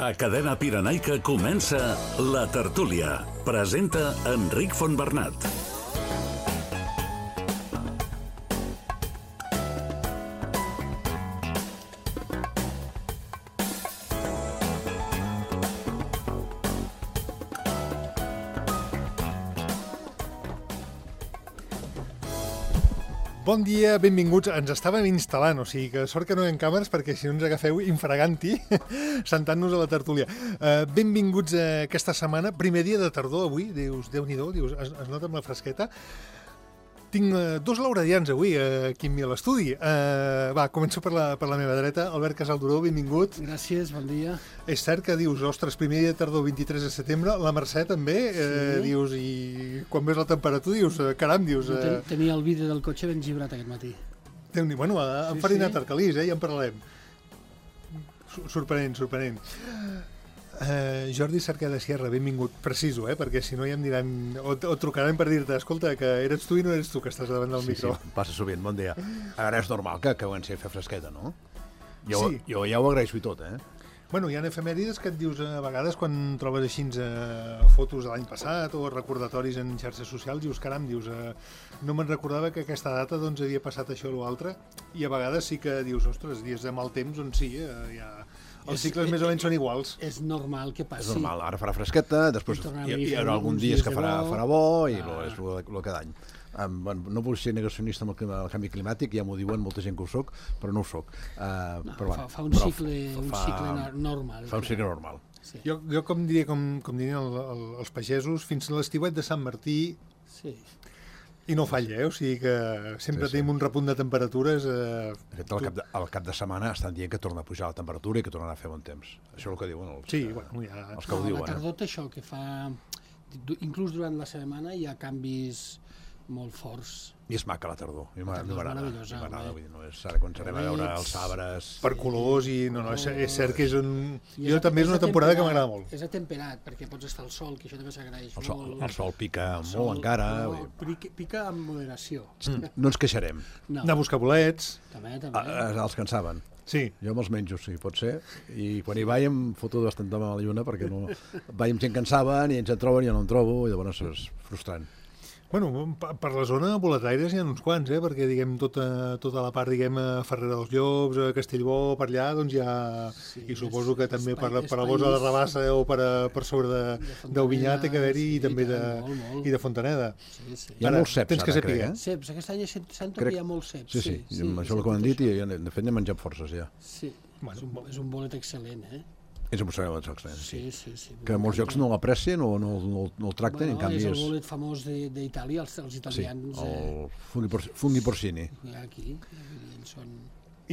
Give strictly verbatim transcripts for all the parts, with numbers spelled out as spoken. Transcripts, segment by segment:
A Cadena Pirenaica comença La Tertúlia. Presenta Enric Fontbernat. Bon dia, benvinguts. Ens estàvem instal·lant, o sigui que sort que no hi ha càmeres perquè si no ens agafeu infraganti sentant-nos a la tertúlia. Uh, benvinguts a aquesta setmana, primer dia de tardor avui, dius, Déu-n'hi-do, dius, es, es nota amb la fresqueta. Tinc uh, dos lauradians avui uh, aquí amb mi a l'estudi. Uh, va, començo per la, per la meva dreta. Albert Casalduró, benvingut. Gràcies, bon dia. És cert que dius, ostres, primer dia de tardor, vint-i-tres de setembre, la Mercè també, sí. uh, dius, i quan ves la temperatura dius, uh, caram, dius... Uh... Ten, tenia el vídeo del cotxe ben gibrat aquest matí. Déu-n'hi, bueno, ha sí, enfarinat sí. Arcalís, eh, ja en parlarem. Sorprenent, sorprenent. Uh, Jordi Cerqueda Sierra, benvingut, preciso, eh, perquè si no ja em diran, o, o trucaran per dir-te, escolta, que eres tu i no eres tu que estàs davant del sí, micro. Sí, passa sovint, bon dia. Ara és normal que, que comenci a fer fresqueta, no? Jo, sí. jo ja ho agraeixo i tot, eh? Bueno, hi ha efemèrides que et dius a vegades quan trobes així eh, fotos de l'any passat o recordatoris en xarxes socials, dius, caram, dius, eh, no me'n recordava que aquesta data doncs havia passat això o l'altre, i a vegades sí que dius, ostres, dies de mal temps, on sí, eh, ja... Els cicles és, més o menys són iguals. És normal que passi. És normal, ara farà fresqueta, després hi, hi haurà alguns dies que farà, farà bo, i ah. lo, és el cada any. Um, bueno, no vull ser negacionista amb el, clima, el canvi climàtic, ja m'ho diuen molta gent que ho soc, però no ho soc. Uh, no, però, fa, fa un però cicle, fa, un cicle normal. Fa un cicle normal. Sí. Jo, jo com diria, com, com dirien el, el, els pagesos, fins a l'estiuet de Sant Martí... Sí. I no falla, eh? O sigui que sempre sí, sí. tenim un repunt de temperatures... Eh... De fet, al cap, de, al cap de setmana estan dient que torna a pujar la temperatura i que tornarà a fer bon temps. Això és el que diuen els, sí, bueno, ja... els que ho no, diuen. La tardor té això, que fa... Inclús durant la setmana hi ha canvis molt forts. I és maca la tardor, a mi m'agrada, eh? no és ara quan serem a veure els arbres... Per colors i... No, no, és, és cert que és un... I jo també és una temporada que m'agrada molt. És atemperat, perquè pots estar al sol, que això també s'agraeix molt. Sol, el sol pica el molt sol, encara... No, pica, pica amb moderació. Mm, no ens queixarem. No. Anar a buscar bolets... També, també. A, els que en saben. Sí. Jo me'ls menjo, sí, pot ser. I quan hi vaig em foto bastant de la lluna perquè no... vaig amb gent que en saben i ens en troben i jo no en trobo i llavors és frustrant. Bueno, per la zona boletaires hi ha uns quants, eh? Perquè diguem tota, tota la part, diguem, a Ferrera dels Llops, a Castellbó, per allà, doncs hi ha... Sí, i suposo que també per, per la Bosa de Rabassa o per, per sobre de, del Vinyà té que haver-hi sí, i també de, molt, molt. I de Fontaneda. Sí, sí. Hi ha molts ceps, tens que ara, crec, eh? Ceps, aquest any sento crec... que hi ha molts ceps. Sí, sí, sí, sí això és el que m'han dit i de fet n'he menjat forces, ja. Sí, bueno, és, un, és un bolet excel·lent, eh? És un bolet excel·lent, sí. Sí, sí, sí. Que molts llocs no l'aprecien o no, no, no el tracten, bueno, en canvi és... és el bolet famós d'Itàlia, els, els italians... Sí, el funghi, por, funghi porcini. Aquí, ells són...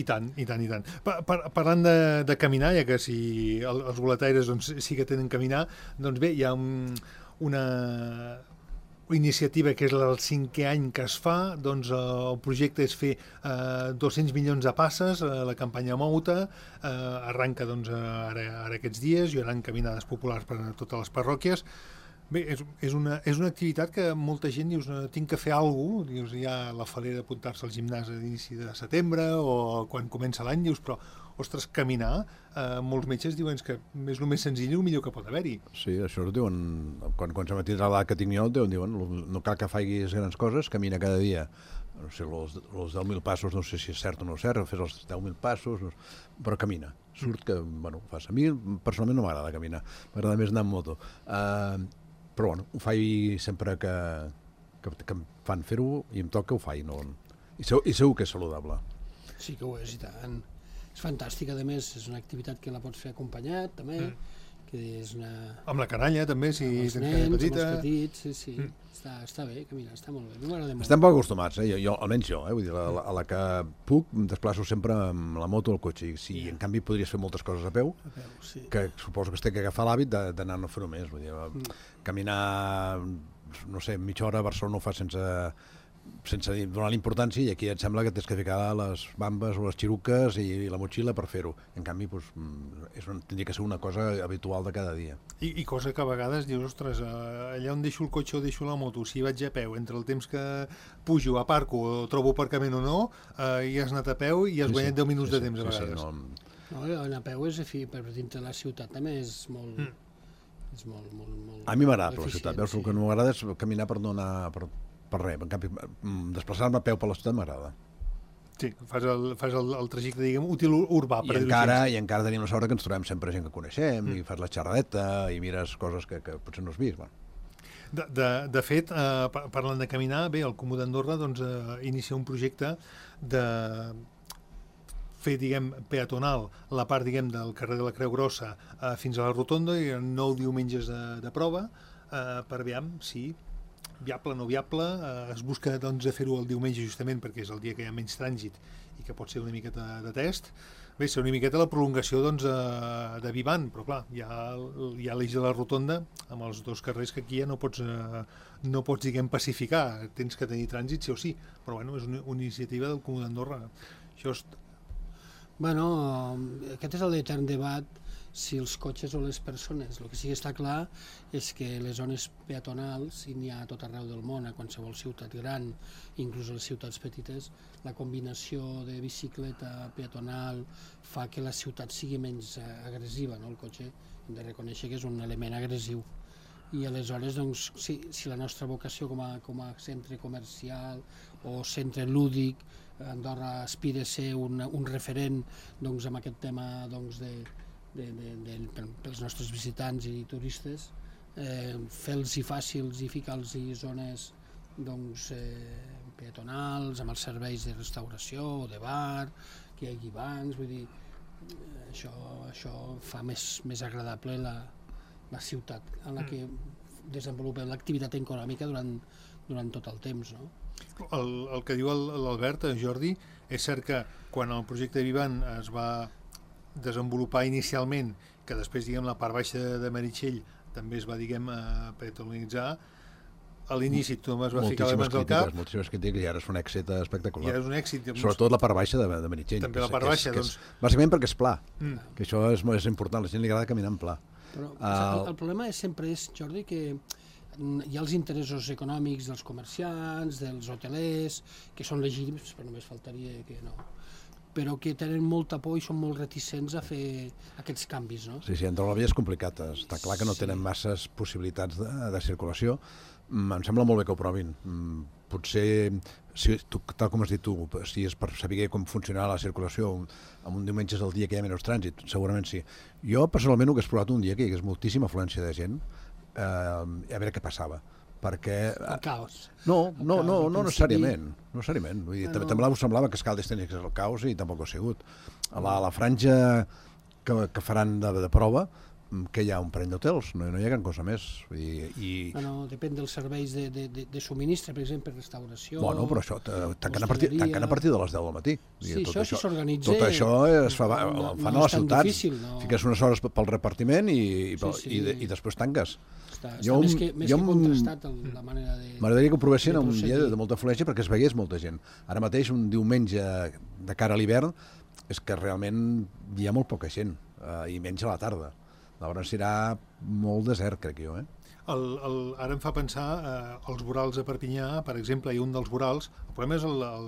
I tant, i tant, i tant. Pa, par, parlant de, de caminar, ja que si el, els boletaires doncs, sí que tenen caminar, doncs bé, hi ha un, una... iniciativa que és el cinquè any que es fa, doncs el projecte és fer eh, dos-cents milions de passes, eh, la campanya Mouta, eh, arranca doncs, ara, ara aquests dies, hi haurà caminades populars per a totes les parròquies. Bé, és, és, una, és una activitat que molta gent dius, tinc que fer alguna cosa, dius, hi ha la falera d'apuntar-se al gimnàs a l'inici de setembre o quan comença l'any, dius, però ostres, caminar, eh, molts metges diuen que és el més senzill i el millor que pot haver-hi. Sí, això ho diuen, quan, quan s'ha metit a l'edat que tinc jo, diuen, no cal que facis grans coses, camina cada dia. No sé, els, els deu mil passos, no sé si és cert o no és cert, fes els deu mil passos, no, però camina. Surt que, bueno, ho fas. A mi, personalment, no m'agrada caminar, m'agrada més anar amb moto. Uh, però, bueno, ho faig sempre que, que, que em fan fer-ho i em toca, ho faig. No? I, segur, I segur que és saludable. Sí que ho és, i tant. És fantàstic, a més, és una activitat que la pots fer acompanyat, també, mm. que és una... Amb la canalla, també, si tens canalla petita. Amb els petits, sí, sí, mm. està, està bé, caminar, està molt bé, m'agrada molt. Estem poc acostumats, eh? jo, jo, almenys jo, eh? Vull dir, a, la, a la que puc em desplaço sempre amb la moto o el cotxe, i si yeah. en canvi podries fer moltes coses a peu, a peu sí. que suposo que es té que agafar l'hàbit d'anar a fer-ho més, vull dir, mm. caminar, no sé, mitja hora a Barcelona ho fa sense... sense donar l'importància, i aquí et sembla que tens que ficar les bambes o les xiruques i la motxilla per fer-ho. En canvi, doncs, és un, tindria que ser una cosa habitual de cada dia. I, i cosa que a vegades dius, ostres, allà on deixo el cotxe o deixo la moto, si vaig a peu, entre el temps que pujo, aparco o trobo aparcament o no, eh, i has anat a peu i has sí, guanyat sí, deu minuts sí, de temps a vegades. Sí, sí, no... No, anar a peu és, fi, per dintre de la ciutat també és molt... Mm. És molt, molt, molt... A mi m'agrada per la ciutat, veus? Sí. El que no m'agrada és caminar per no anar per, per res. En canvi, desplaçar-me a peu per la ciutat m'agrada. Sí, fas el, fas el, el trajecte, diguem, útil urbà. I encara, I encara tenim la sort que ens trobem sempre gent que coneixem, mm. i fas la xerradeta, i mires coses que, que potser no has vist. Bueno. De, de, de fet, eh, parlant de caminar, bé, el Comú d'Andorra doncs, eh, inicia un projecte de fer, diguem, peatonal la part, diguem, del carrer de la Creu Grossa eh, fins a la Rotonda, i nou diumenges de, de prova eh, per veure si viable o no viable. Eh, es busca doncs, fer-ho el diumenge justament perquè és el dia que hi ha menys trànsit i que pot ser una miqueta de test. Bé, ser una miqueta la prolongació doncs, eh, de Vivant, però clar, hi ha, hi ha l'eix de la Rotonda amb els dos carrers que aquí ja no pots, eh, no pots diguem, pacificar, tens que tenir trànsit sí o sí, però bueno, és una, una iniciativa del Comú d'Andorra. Això és... Bueno, aquest és l'etern debat si els cotxes o les persones. El que sí que està clar és que les zones peatonals, i n'hi ha a tot arreu del món, a qualsevol ciutat gran, inclús a les ciutats petites, la combinació de bicicleta peatonal fa que la ciutat sigui menys agressiva, no? El cotxe hem de reconèixer que és un element agressiu. I aleshores, doncs, si, si la nostra vocació com a, com a centre comercial o centre lúdic, Andorra aspira a ser un, un referent doncs, amb aquest tema doncs, de, de, de, de, pels nostres visitants i turistes, eh, fer-los fàcils i ficar-los zones doncs, eh, peatonals, amb els serveis de restauració o de bar, que hi hagi bancs, vull dir, eh, això, això fa més, més agradable la, la ciutat en la que desenvolupem l'activitat econòmica durant, durant tot el temps, no? El, el que diu l'Albert, Jordi, és cert que quan el projecte Vivant es va desenvolupar inicialment, que després, diguem, la part baixa de, de Meritxell també es va, diguem, peatonalitzar, a l'inici tothom es va ficar les mans al cap. Moltíssimes crítiques, i ara és un èxit espectacular. I ara és un èxit. Sobretot la part baixa de, de Meritxell. També la part baixa, és, doncs... És, bàsicament perquè és pla, mm. que això és, és important, a la gent li agrada caminar en pla. Però uh, el, el problema és, sempre és, Jordi, que hi ha els interessos econòmics dels comerciants, dels hotelers, que són legítims, però només faltaria que no, però que tenen molta por i són molt reticents a fer aquests canvis, no? Sí, sí, Andorra la Vella és complicat, està clar que no sí. tenen masses possibilitats de, de circulació. Mm, em sembla molt bé que ho provin. Mm, potser, si, tu, tal com has dit tu, si és per saber com funcionarà la circulació en un diumenge és el dia que hi ha menys trànsit, segurament sí. Jo personalment ho hagués provat un dia que hi hagués moltíssima afluència de gent, eh, a veure què passava. Perquè... El caos. No, el no, caos, no, no necessari... necessàriament. No necessàriament. Vull dir, bueno... també semblava que Escaldes tenia que ser el caos i tampoc ho ha sigut. A la, a la franja que, que faran de, de prova, que hi ha un parell d'hotels, no, no hi ha gran cosa més. Vull dir, i... Bueno, depèn dels serveis de, de, de, de subministre, per exemple, restauració... Bueno, però això, tancant a, partir, tancant a partir de les deu del matí. Sí, dir, tot això, això, si s'organitza... Tot això es fa, no, fan no a les ciutats. Difícil, no. Fiques unes hores pel repartiment i, i, sí, sí. i, i després tanques. Està, està jo, més que, més jo, que contrastat el, la manera de... M'agradaria que ho provessin un dia de, de molta afluència perquè es vegués molta gent. Ara mateix, un diumenge de cara a l'hivern, és que realment hi ha molt poca gent, eh, i menys a la tarda. Llavors serà molt desert, crec jo. Eh? El, el, ara em fa pensar eh, els vorals a Perpinyà, per exemple, hi ha un dels vorals, el problema és el, el,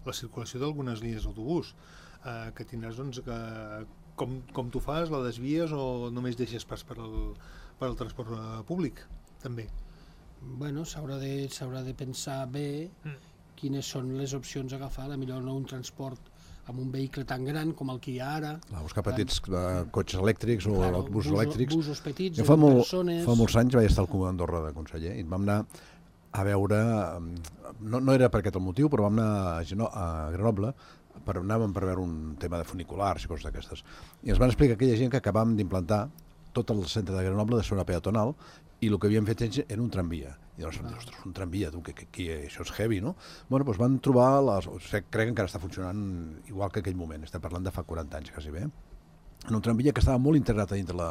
la circulació d'algunes línies d'autobús, eh, que tindràs, doncs, que, com, com tu fas, la desvies o només deixes pas per al, per al transport públic, també? Bueno, s'haurà de, s'haurà de pensar bé mm. quines són les opcions a agafar, a millor no un transport amb un vehicle tan gran com el que hi ha ara. A buscar petits uh, cotxes elèctrics o claro, autobusos busos, elèctrics. Busos petits, jo fa, molt, persones... fa molts anys vaig estar al Comú d'Andorra de conseller i vam anar a veure, no, no era per aquest el motiu, però vam anar a, Geno, a Grenoble, per, anàvem per veure un tema de funiculars i coses d'aquestes. I ens van explicar aquella gent que acabàvem d'implantar tot el centre de Grenoble de zona peatonal i el que havíem fet era un tramvia. I llavors, ah. ostres, un tramvia, tu, que, que, que això és heavy, no? Bueno, doncs van trobar, les, o sigui, crec que encara està funcionant igual que aquell moment, estem parlant de fa quaranta anys, quasi bé, en un tramvia que estava molt integrat a dintre la,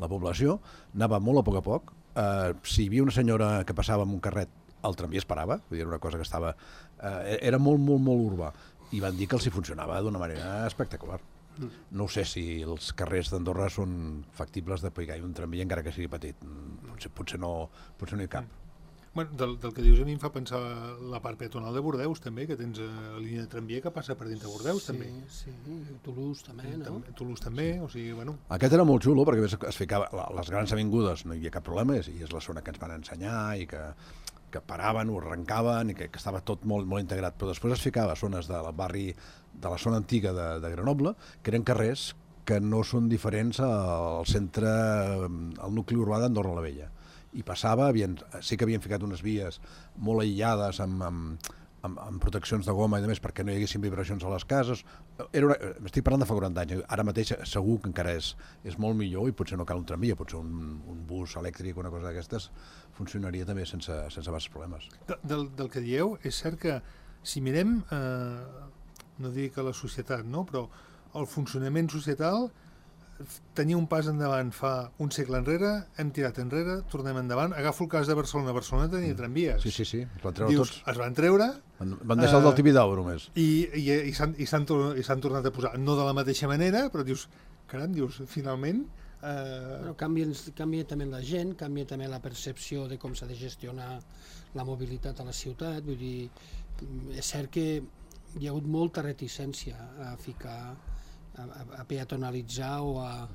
la població, anava molt a poc a poc, eh, si hi havia una senyora que passava amb un carret, el tramvia es parava, vull dir, era una cosa que estava... Eh, era molt, molt, molt urbà, i van dir que els hi funcionava d'una manera espectacular. No sé si els carrers d'Andorra són factibles de pegar un tramvia encara que sigui petit. Potser, potser, no, potser no hi cap. Bueno, del, del que dius a mi em fa pensar la part peatonal de Bordeus, també, que tens la línia de tramvia que passa per dintre de Bordeus, sí, també. Sí, sí, Toulouse també, no? També, Toulouse també, o sigui, bueno... Aquest era molt xulo, perquè es ficava, les grans avingudes no hi havia cap problema, i és la zona que ens van ensenyar, i que, que paraven, ho arrencaven, i que, que estava tot molt, molt integrat, però després es ficava a zones del barri, de la zona antiga de, de Grenoble, que eren carrers que no són diferents al centre, al nucli urbà d'Andorra la Vella. I passava, havien, sí que havien ficat unes vies molt aïllades amb, amb, amb, amb proteccions de goma i de més perquè no hi haguessin vibracions a les cases. Era una, estic parlant de fa quaranta anys, ara mateix segur que encara és, és molt millor i potser no cal un tramvia, potser un, un bus elèctric o una cosa d'aquestes funcionaria també sense, sense bastos problemes. De, del, del que dieu, és cert que si mirem, eh, no dic a la societat, no? Però el funcionament societal tenia un pas endavant fa un segle enrere, hem tirat enrere, tornem endavant. Agafo el cas de Barcelona. Barcelona tenia mm. tramvies. Sí, sí, sí, es van treure Dius, tots. Es van treure... Van, van deixar uh, el del Tibidabo només. I, i, i s'han tornat a posar, no de la mateixa manera, però dius, caram, dius, finalment... Uh... Bueno, canvia, canvia també la gent, canvia també la percepció de com s'ha de gestionar la mobilitat a la ciutat. Vull dir, és cert que hi ha hagut molta reticència a ficar... A, a peatonalitzar o a,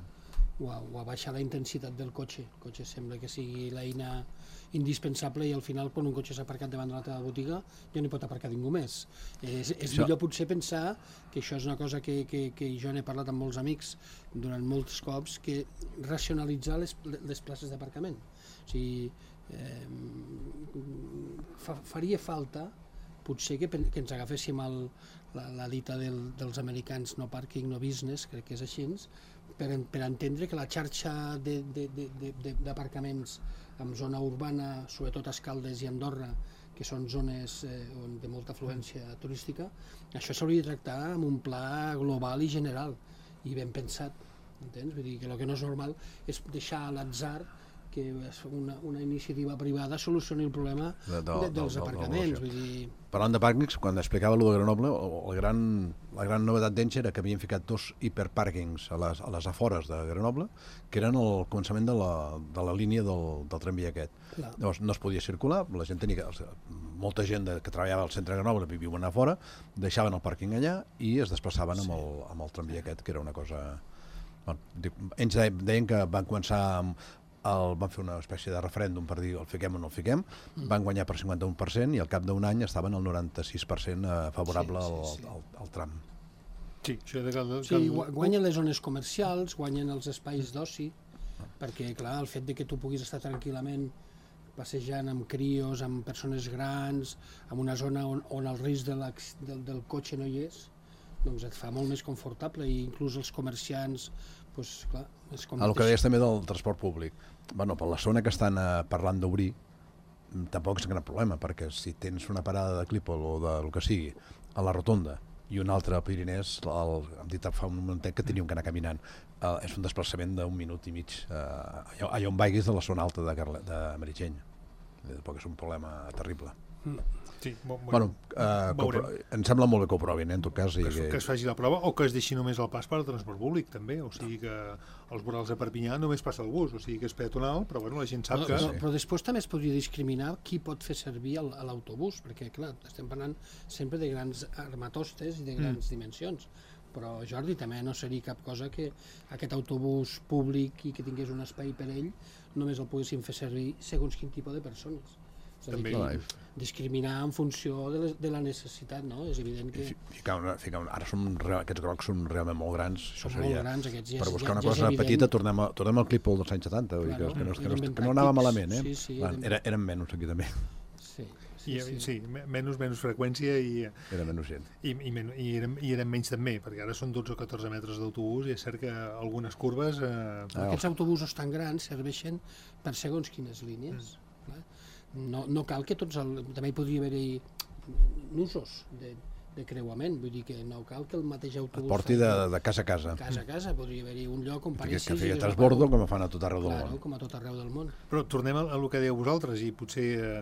o, a, o a baixar la intensitat del cotxe. El cotxe sembla que sigui l'eina indispensable i al final quan un cotxe s'ha aparcat davant de la teva botiga ja no hi pot aparcar ningú més. És, és això... millor potser pensar que això és una cosa que, que, que jo n'he parlat amb molts amics durant molts cops, que racionalitzar les, les places d'aparcament. O sigui, eh, fa, faria falta potser que, que ens agaféssim el, la, la dita del, dels americans no parking, no business, crec que és així, per, per entendre que la xarxa d'aparcaments en zona urbana, sobretot a Escaldes i Andorra, que són zones eh, de molta afluència turística, això s'hauria de tractar amb un pla global i general, i ben pensat, entens? Vull dir que el que no és normal és deixar a l'atzar que una, una iniciativa privada solucioni el problema de, de, de, dels de, aparcaments. Vull dir... Parlant de pàrquings, quan explicava allò de Grenoble, el gran, la gran novetat d'Enche era que havien ficat dos hiperpàrquings a les, a les afores de Grenoble, que eren el començament de la, de la línia del, del tramvia aquest. Clar. Llavors no es podia circular, la gent tenia que, molta gent de, que treballava al centre de Grenoble viuen a fora, deixaven el pàrquing allà i es desplaçaven sí. amb, el, amb el tramvia aquest, que era una cosa... Bueno, ells deien que van començar amb El, van fer una espècie de referèndum per dir el fiquem o no el fiquem, mm. van guanyar per cinquanta-un per cent i al cap d'un any estaven al noranta-sis per cent favorable sí, sí, sí. Al, al, al tram. Sí, això de cal, cal... sí, guanyen les zones comercials, guanyen els espais d'oci, ah. perquè clar, el fet de que tu puguis estar tranquil·lament passejant amb crios, amb persones grans, en una zona on, on el risc de del, del cotxe no hi és, doncs et fa molt més confortable i inclús els comerciants, doncs clar, és com... El que deies també del transport públic. Bueno, per la zona que estan eh, parlant d'obrir, tampoc és un gran problema, perquè si tens una parada de Clípol o de lo que sigui a la Rotonda i una altra a Pirinès, el, hem dit fa un momentet que teníem que anar caminant, eh, és un desplaçament d'un minut i mig eh, allà, allà on vagis de la zona alta de, Carle, de Meritxell. Tampoc és un problema terrible. Mm. Sí, bo, bueno, eh, em sembla molt bé que ho provin, eh, en tot cas. Que, I que... que es faci la prova o que es deixi només el pas per al transport públic, també. O sigui que als vorals de Perpinyà només passa el bus, o sigui que és peatonal, però bueno, la gent sap però, que... Però, però després també es podria discriminar qui pot fer servir l'autobús, perquè clar, estem parlant sempre de grans armatostes i de grans mm. dimensions. Però Jordi, també no seria cap cosa que aquest autobús públic i que tingués un espai per ell només el poguessin fer servir segons quin tipus de persones. També. Discriminar en funció de, les, de la necessitat, no? És evident que... Ficar una, ficar una, ara som, aquests grocs són realment molt grans. Són això seria, molt grans, aquests ja, per buscar ja, una ja cosa petita, tornem, a, tornem al Clípol dels anys setanta, vull dir que, que, no, que, no, que no anava malament, eh? Sí, sí, Clar, era, eren menys aquí també. Sí, sí, I, sí. sí menys, menys freqüència i... Era menys gent. I, i, men, i, eren, i eren menys també, perquè ara són dotze o catorze metres d'autobús i és cert que algunes curves... Eh... Ah, aquests autobusos tan grans serveixen per segons quines línies. Mm. No, no cal que tots... El, també hi podria haver-hi nusos de, de creuament, vull dir que no cal que el mateix autobús... Porti de, de casa a casa. Casa a casa, podria haver-hi un lloc on Que, paressis... que feia transbordo com fan a tot arreu del Claro, món. com a tot arreu del món. Però tornem a, a el que dèieu vosaltres, i potser eh,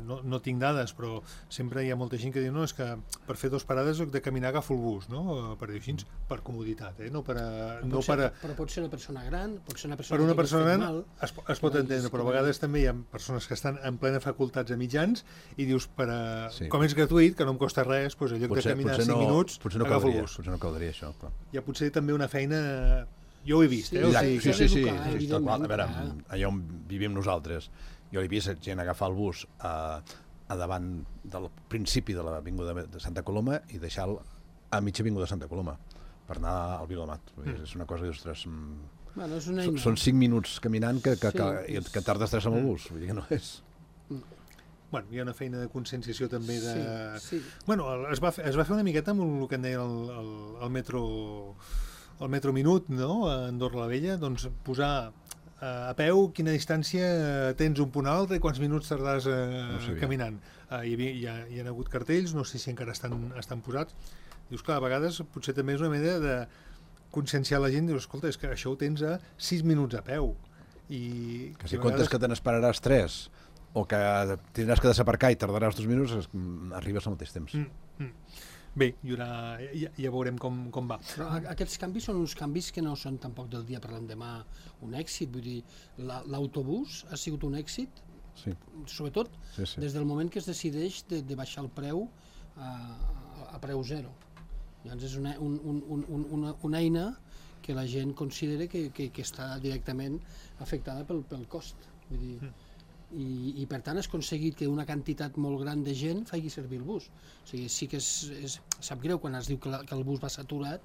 no, no tinc dades, però sempre hi ha molta gent que diu no, és que per fer dues parades he de caminar agafo el bus, no? Per dir així, per comoditat, eh? No per a, no ser, per a... Però pot ser una persona gran, pot ser una persona Per una que persona fet gran mal, es, es pot entendre, però a vegades també hi ha persones que estan en plena facultats a mitjans i dius, per a, Sí. com és gratuït, que no em costa res, doncs, en lloc Potser, de caminar potser, cinc no, minuts, potser no agafo el caldria, bus. potser no caldria això. Però... Hi ha potser també una feina... Jo ho he vist, Sí, eh? O Ja, sigui, sí, que... sí, sí, educar, sí, està clar. A veure, evidentment, allà on vivim nosaltres, jo he vist gent agafar el bus a, a davant del principi de l'avinguda de Santa Coloma i deixar-lo a mitja avinguda de Santa Coloma per anar al Viladomat. Mm. És una cosa que, ostres, mm, Bueno, és una són, eina. són cinc minuts caminant que, que, Sí, que, és- que tardes tres amb el bus. Vull dir que no és... Bueno, hi ha una feina de conscienciació també de... Sí, sí. Bueno, el- es va, fer, es va fer una miqueta amb el que en deia el, el, el metro el metro minut, no?, a Andorra la Vella, doncs posar eh, a peu quina distància tens un punt a l'altre i quants minuts tardaràs eh, No ho sabia. caminant. Eh, hi, havia, hi, ha, hi ha hagut cartells, no sé si encara estan, estan posats. Dius, clar, a vegades potser també és una manera de conscienciar la gent, dius, escolta, és que això ho tens a sis minuts a peu. I, Que si i a comptes vegades- que te n'esperaràs tres o que tindràs que desaparcar i tardaràs dos minuts, es- mm, arribes al mateix temps. Mm, mm. Bé, hi haurà, ja, ja veurem com, com va. Però a- aquests canvis són uns canvis que no són tampoc del dia per l'endemà un èxit. Vull dir, la- l'autobús ha sigut un èxit, Sí, sobretot sí, sí. des del moment que es decideix de, de baixar el preu a, a preu zero. Llavors és una, un, un, un, una, una eina que la gent considera que, que, que està directament afectada pel, pel cost. Vull dir, mm. i, i per tant has aconseguit que una quantitat molt gran de gent faci servir el bus. O sigui, sí que és, és, sap greu quan es diu que, la, que el bus va saturat,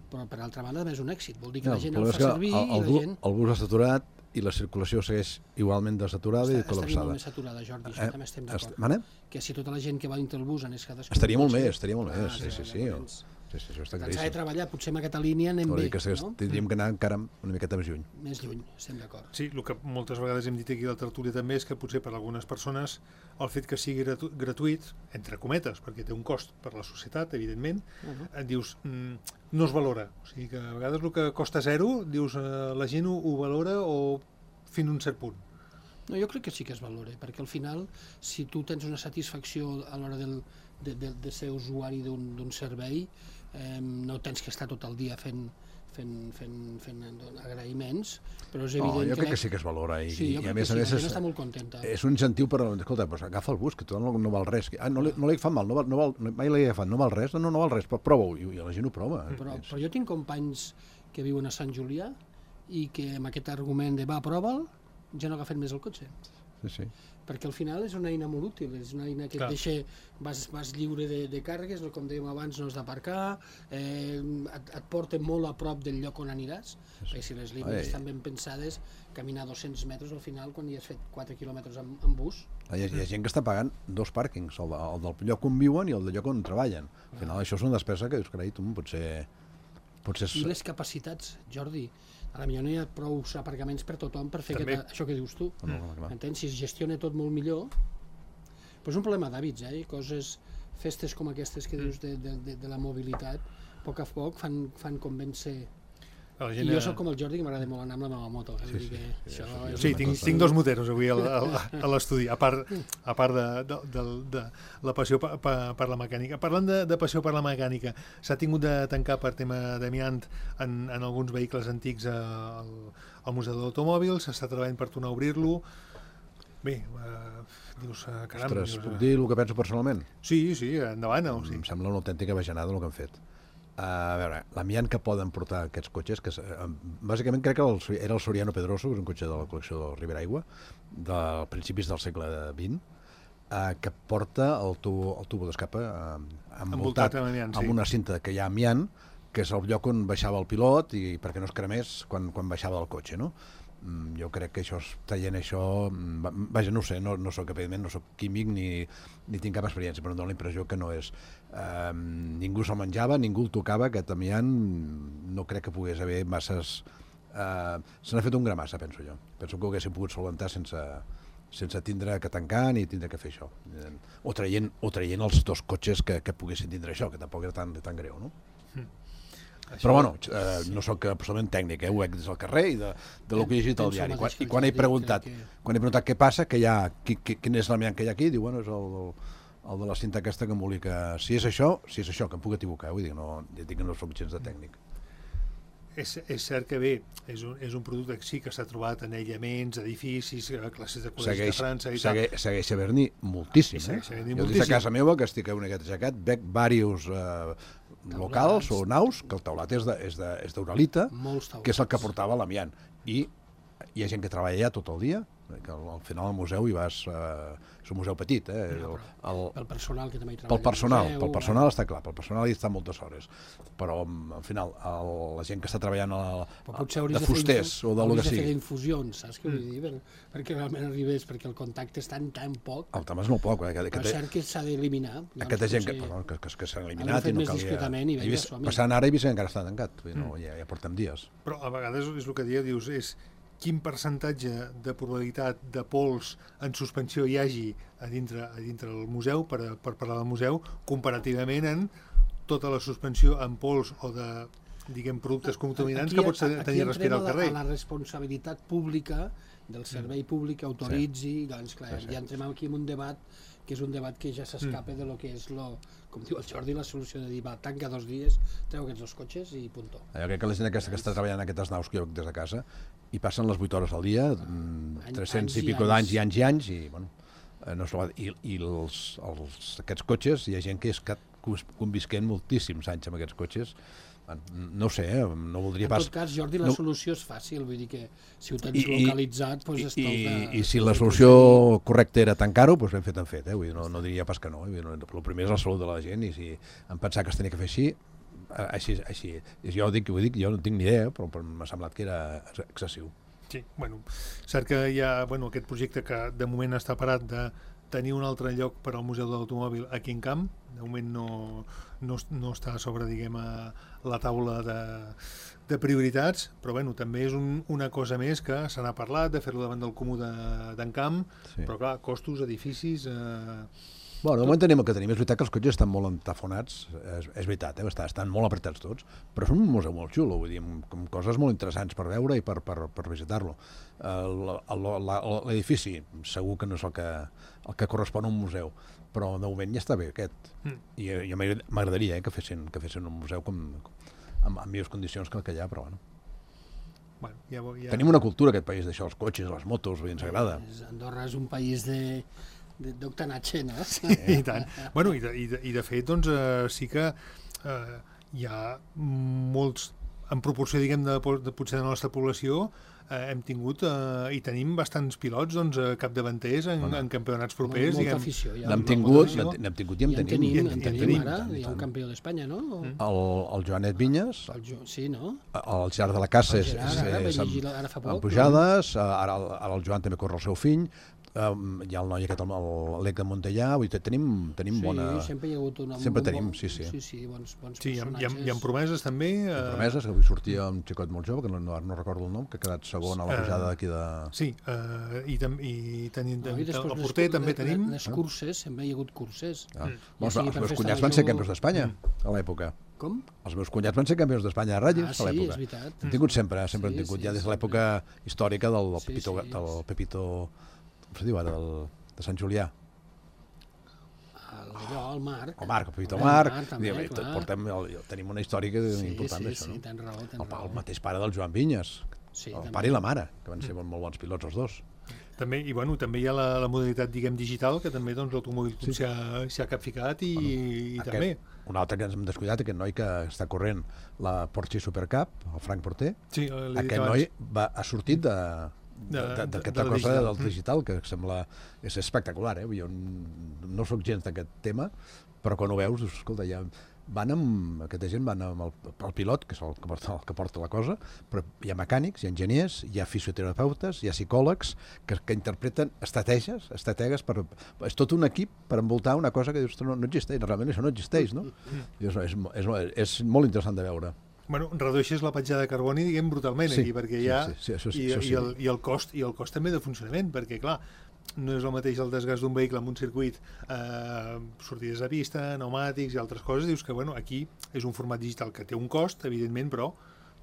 però per altra banda també és un èxit. Vol dir que No, la gent problema el és fa que servir el, i el, la bu- gent... el bus està saturat i la circulació segueix igualment desaturada i Està, estaria molt col·lapsada. més saturada, Jordi, això Eh, també estem est- d'acord. Mana? Que si tota la gent que va dintre el bus anés cadascú... Estaria molt cotxe, més, estaria molt més, ah, sí, sí, sí. llavors, Sí, sí, això està Tant s'ha de claríssim. treballar, potser amb aquesta línia anem Vol bé, dir que s'hagués- no? tindríem que anar encara una miqueta més lluny. Més lluny, estem d'acord. Sí, el que moltes vegades hem dit aquí a la tertúlia també és que potser per a algunes persones el fet que sigui gratu gratuït, entre cometes, perquè té un cost per la societat, evidentment, Uh -huh. et dius, mm, no es valora. O sigui que a vegades el que costa zero, dius, eh, la gent ho, ho valora o fins a un cert punt. No, jo crec que sí que es valora, perquè al final, si tu tens una satisfacció a l'hora del, de, de, de ser usuari d'un servei, eh, no tens que estar tot el dia fent, fent, fent, fent agraïments, però és No, evident jo que... crec que sí que es valora i, Sí, jo i crec a més que a sí, més la gent és, està molt contenta. és un incentiu per, escolta, doncs agafa el bus, que tothom no, no val res. Ah, no li, no li fa mal, no val, no val, mai l'he agafat, no val res, no, no, no val res, però prova-ho, i, i la gent ho prova. Però, És- però jo tinc companys que viuen a Sant Julià i que amb aquest argument de va, prova'l, ja no agafen més el cotxe. Sí, sí. Perquè al final és una eina molt útil, és una eina que Clar. et deixa, vas, vas lliure de, de càrregues, no, com dèiem abans, no has d'aparcar, eh, et, et porta molt a prop del lloc on aniràs, perquè si les línies Ai. estan ben pensades, caminar dos-cents metres al final, quan hi has fet quatre quilòmetres amb, amb bus, Hi ha, hi ha gent que està pagant dos pàrquings, el, de, el del lloc on viuen i el del lloc on treballen. Al final això és una despesa que dius, carai, tu, potser... potser és... i les capacitats, Jordi, a la millor no hi ha prou aparcaments per tothom per fer També. aquest, això que dius tu. No, no, clar. Entens? Si es gestiona tot molt millor, però és un problema d'hàbits, eh? Coses, festes com aquestes que dius de, de, de, de la mobilitat, a poc a poc fan, fan convèncer. La I gent, jo eh, sóc com el Jordi, que m'agrada molt anar amb la meva moto. Eh? Vull dir que sí, això això és Sí, una tinc, cosa- tinc dos moteros avui al- al- a l'estudi, a part, a part de, de, de, de la passió per, per, per la mecànica. Parlant de, de passió per la mecànica, s'ha tingut de tancar per tema d'amiant en, en alguns vehicles antics al, al Museu de l'Automòbil, s'està treballant per tornar a obrir-lo. Bé, eh, dius, eh, caram... Ostres, dius, puc eh, dir el que penso personalment? Sí, sí, endavant. O sigui. Em sembla una autèntica bajanada el que han fet. A veure, l'amiant que poden portar aquests cotxes, que és, eh, bàsicament crec que el, era el Soriano Pedroso, que és un cotxe de la col·lecció del Ribera Aigua, de principis del segle vint, eh, que porta el tubo, el tubo d'escapa eh, Envoltat envoltat amb amiant, sí. amb una cinta que hi ha amiant, que és el lloc on baixava el pilot i perquè no es cremés quan, quan baixava del cotxe, no? Mm, jo crec que això, traient això, mm, va- vaja, no ho sé, no, no soc, evidentment, no soc químic ni, ni tinc cap experiència, però em dóna la impressió que no és. Eh, ningú se'l menjava, ningú el tocava, aquest amiant, no crec que pogués haver masses... Eh, se n'ha fet un gra massa, penso jo. Penso que ho haguéssim pogut solventar sense, sense tindre que tancar ni tindre que fer això. O traient, o traient els dos cotxes que, que poguessin tindre això, que tampoc era tan, tan greu, no? Mm. Això... Però bueno, eh, no sóc absolutament tècnic, eh? Ho veig des del carrer i de, de lo que he llegit al diari. Quan, I quan he preguntat que... quan he preguntat què passa, que hi ha, qui, qui, quin és l'amiant que hi ha aquí, diu, bueno, és el, el, el de la cinta aquesta que em volia que... Si és això, si és això, que em puc equivocar, vull dir, no, dic que no soc gens de tècnic. És, és cert que bé, és un, és un producte que sí que s'ha trobat en aïllaments, edificis, classes de col·legis segueix, de França i segueix, tal. Segueix havent-n'hi moltíssim, eh? Jo dic a casa meva, que estic a una aixecat, veig diversos eh, locals o naus, que el teulat és d'uralita, que és el que portava l'amiant. I hi ha gent que treballa allà tot el dia, que al final al museu hi vas... Eh, és un museu petit, eh? No, el, pel personal que també hi treballa. Pel personal, museu, pel personal està clar, pel personal hi està moltes hores. Però al final, el, la gent que està treballant a la, a, de fusters o de lo que sigui... Hauries de fer infusions, saps què vull dir? Per, perquè realment arribés, perquè el contacte és tan, tan poc... El tema és molt poc. Eh? Que, que, és cert que s'ha d'eliminar. Aquesta gent que, perdó, que, que, que s'han eliminat i no calia... I i vist, passant ara he vist que encara està tancat, mm. no, ja, ja portem dies. Però a vegades és el que dieu, dius, és quin percentatge de probabilitat de pols en suspensió hi hagi a dintre, a dintre del museu, per, per parlar del museu, comparativament en tota la suspensió en pols o de, diguem, productes contaminants aquí, que pots tenir a respirar al carrer. Aquí entrem a la responsabilitat pública del servei públic que autoritzi, sí. Doncs clar, sí, sí. Ja entrem aquí en un debat que és un debat que ja s'escapa mm. de lo que és, lo, com diu el Jordi, la solució de dir, va, tanca dos dies, treu aquests dos cotxes i puntó. Jo crec que la gent aquesta que està treballant en aquestes naus que jo veig des de casa, i passen les vuit hores al dia, ah, tres-cents i pico d'anys i anys i anys, i, bueno, no és i, i els, els, aquests cotxes, hi ha gent que és que convisquent moltíssims anys amb aquests cotxes. No ho sé, eh? No voldria pas... En tot cas, Jordi, la no... solució és fàcil, vull dir que si ho tens I, localitzat, doncs és tot... I, i si la solució correcta era tancar-ho, doncs ben fet en fet, eh? Vull dir, no, no diria pas que no. Eh? El primer és la salut de la gent, i si em pensava que es tenia que fer així, així, així. Jo dic, ho dic, jo no tinc ni idea, però, però m'ha semblat que era excessiu. Sí, bueno, cert que hi ha bueno, aquest projecte que de moment està parat de tenir un altre lloc per al Museu de l'Automòbil aquí en Camp, de moment no, no, no està a sobre, diguem, a la taula de, de prioritats, però bueno, també és un, una cosa més que se n'ha parlat, de fer-lo davant del comú d'en Camp, sí. Però clar, costos, edificis... Eh... Bueno, de moment tenim el que tenim, és veritat que els cotxes estan molt entafonats, és, és veritat, eh? estan molt apretats tots, però és un museu molt xulo, vull dir, amb, amb coses molt interessants per veure i per, per, per visitar-lo. L'edifici segur que no és el que, el que correspon a un museu, però de moment ja està bé aquest, mm. i, i m'agradaria eh, que, fessin, que fessin un museu com, amb, amb millors condicions que el que hi ha, però bueno. Bueno, ja, ja... Tenim una cultura aquest país d'això, els cotxes, les motos, ens agrada. Andorra és un país de... d'octanatge, no? Sí, i tant. Bueno, i de, i de, i de fet, doncs, eh, sí que eh, hi ha molts, en proporció, diguem, de, de potser de la nostra població, eh, hem tingut eh, i tenim bastants pilots, doncs, capdavanters en, en campionats propers. Molta diguem, afició. N'hem tingut, n'hem tingut i en tenim. I en tenim, ara, hi ha un campió d'Espanya, no? El, el Joanet Vinyes, el jo, sí, no? El Gerard de la Casa, és, és, amb pujades, ara, ara el Joan també corre el seu fill, Um, hi ha el noi aquest, l'Ec de Montellà, vull dir, tenim, tenim sí, bona... Sí, sempre hi ha hagut una... Sempre tenim, sí, sí. Sí, sí, bons, bons sí, personatges. Hi ha, hi ha promeses també. Hi ha promeses, que avui sortia un xicot molt jove, que no, no, no recordo el nom, que ha quedat segon a la pujada d'aquí de... Sí, uh, i, tam i tenim... No, i el porter també les, tenim... Les curses, sempre hi ha hagut curses. Ah. Mm. Ja sí, els meus cunyats van ser campions d'Espanya a l'època. Com? Els meus cunyats van ser campions d'Espanya a ratlles ah, a l'època. Sí, és veritat. Hem tingut sempre, sempre sí, hem tingut, sí, ja des de l'època històrica del, del, sí, Pepito, sí, del Pepito... Com se diu ara? Del, de Sant Julià. El, allò, el Marc. El Marc, el Pepito Marc. Marc també, Diem, portem, el, tenim una històrica sí, important sí, d'això, sí, no? Tens raó, tens el, raó. El mateix pare del Joan Vinyes. Sí, el també. Pare i la mare, que van ser mm. molt bons pilots els dos. També, i bueno, també hi ha la, la modalitat, diguem, digital, que també doncs, l'automòbil sí. s'hi ha, ha capficat i, bueno, i aquest, també. Un altre que ens hem descuidat, aquest noi que està corrent la Porsche Supercup, el Frank Porter, sí, aquest noi va, ha sortit de... d'aquesta cosa digital. Del digital, que sembla és espectacular, eh? Jo no sóc gens d'aquest tema, però quan ho veus, escolta, ja van amb, aquesta gent van amb el, el pilot, que és el que, porta, el que porta la cosa, però hi ha mecànics, hi ha enginyers, hi ha fisioterapeutes, hi ha psicòlegs que, que interpreten estratègies, estrategues per, és tot un equip per envoltar una cosa que dius, no, no existeix, realment això no existeix, no? I és, és, és, és molt interessant de veure. Bueno, redueixes la petjada de carboni, diguem, brutalment, sí, aquí, perquè hi ha... Sí, sí, sí, això, i, això sí. I, el, i, el cost, I el cost també de funcionament, perquè, clar, no és el mateix el desgast d'un vehicle en un circuit, eh, sortides de pista, pneumàtics i altres coses, dius que bueno, aquí és un format digital que té un cost, evidentment, però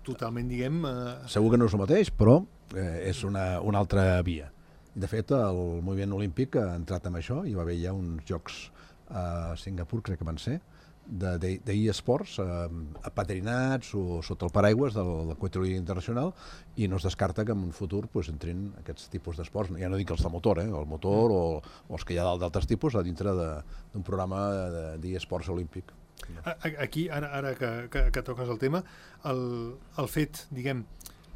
totalment, diguem... Eh... Segur que no és el mateix, però eh, és una, una altra via. De fet, el moviment olímpic ha entrat en això, hi va haver ja uns jocs a Singapur, crec que van ser, d'e-sports, apadrinats o sota el paraigües del, del Comitè Internacional, i no es descarta que en un futur pues, entrin aquests tipus d'esports, ja no dic els de motor, eh, el motor o, o els que hi ha d'altres tipus, a dintre d'un programa d'e-sports olímpic. Aquí, ara, ara que, que, que toques el tema, el, el fet, diguem,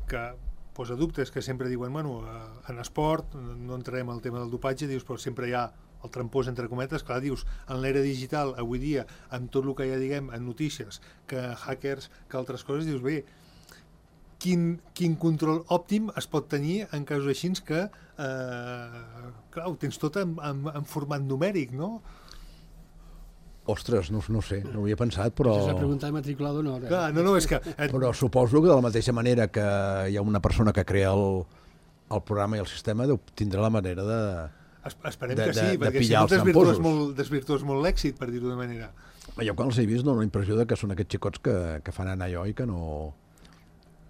que posa dubtes, que sempre diuen, bueno, en esport, no entrarem al tema del dopatge, dius, però sempre hi ha el trampós, entre cometes, clar, dius, en l'era digital, avui dia, amb tot el que hi ha, diguem, en notícies, que hackers, que altres coses, dius, bé, quin, quin control òptim es pot tenir en casos així que, eh, clar, ho tens tot en, en, en format numèric, no? Ostres, no, no sé, no ho havia pensat, però... Això és la pregunta de matrícula d'honor. Eh? Clar, no, no, és que... Però suposo que de la mateixa manera que hi ha una persona que crea el, el programa i el sistema, tindrà la manera de... Esperem de, que sí, de, perquè de si no desvirtues molt, molt, desvirtues molt l'èxit, per dir-ho d'una manera. Jo quan els he vist dono la impressió de que són aquests xicots que, que fan anar allò i que no...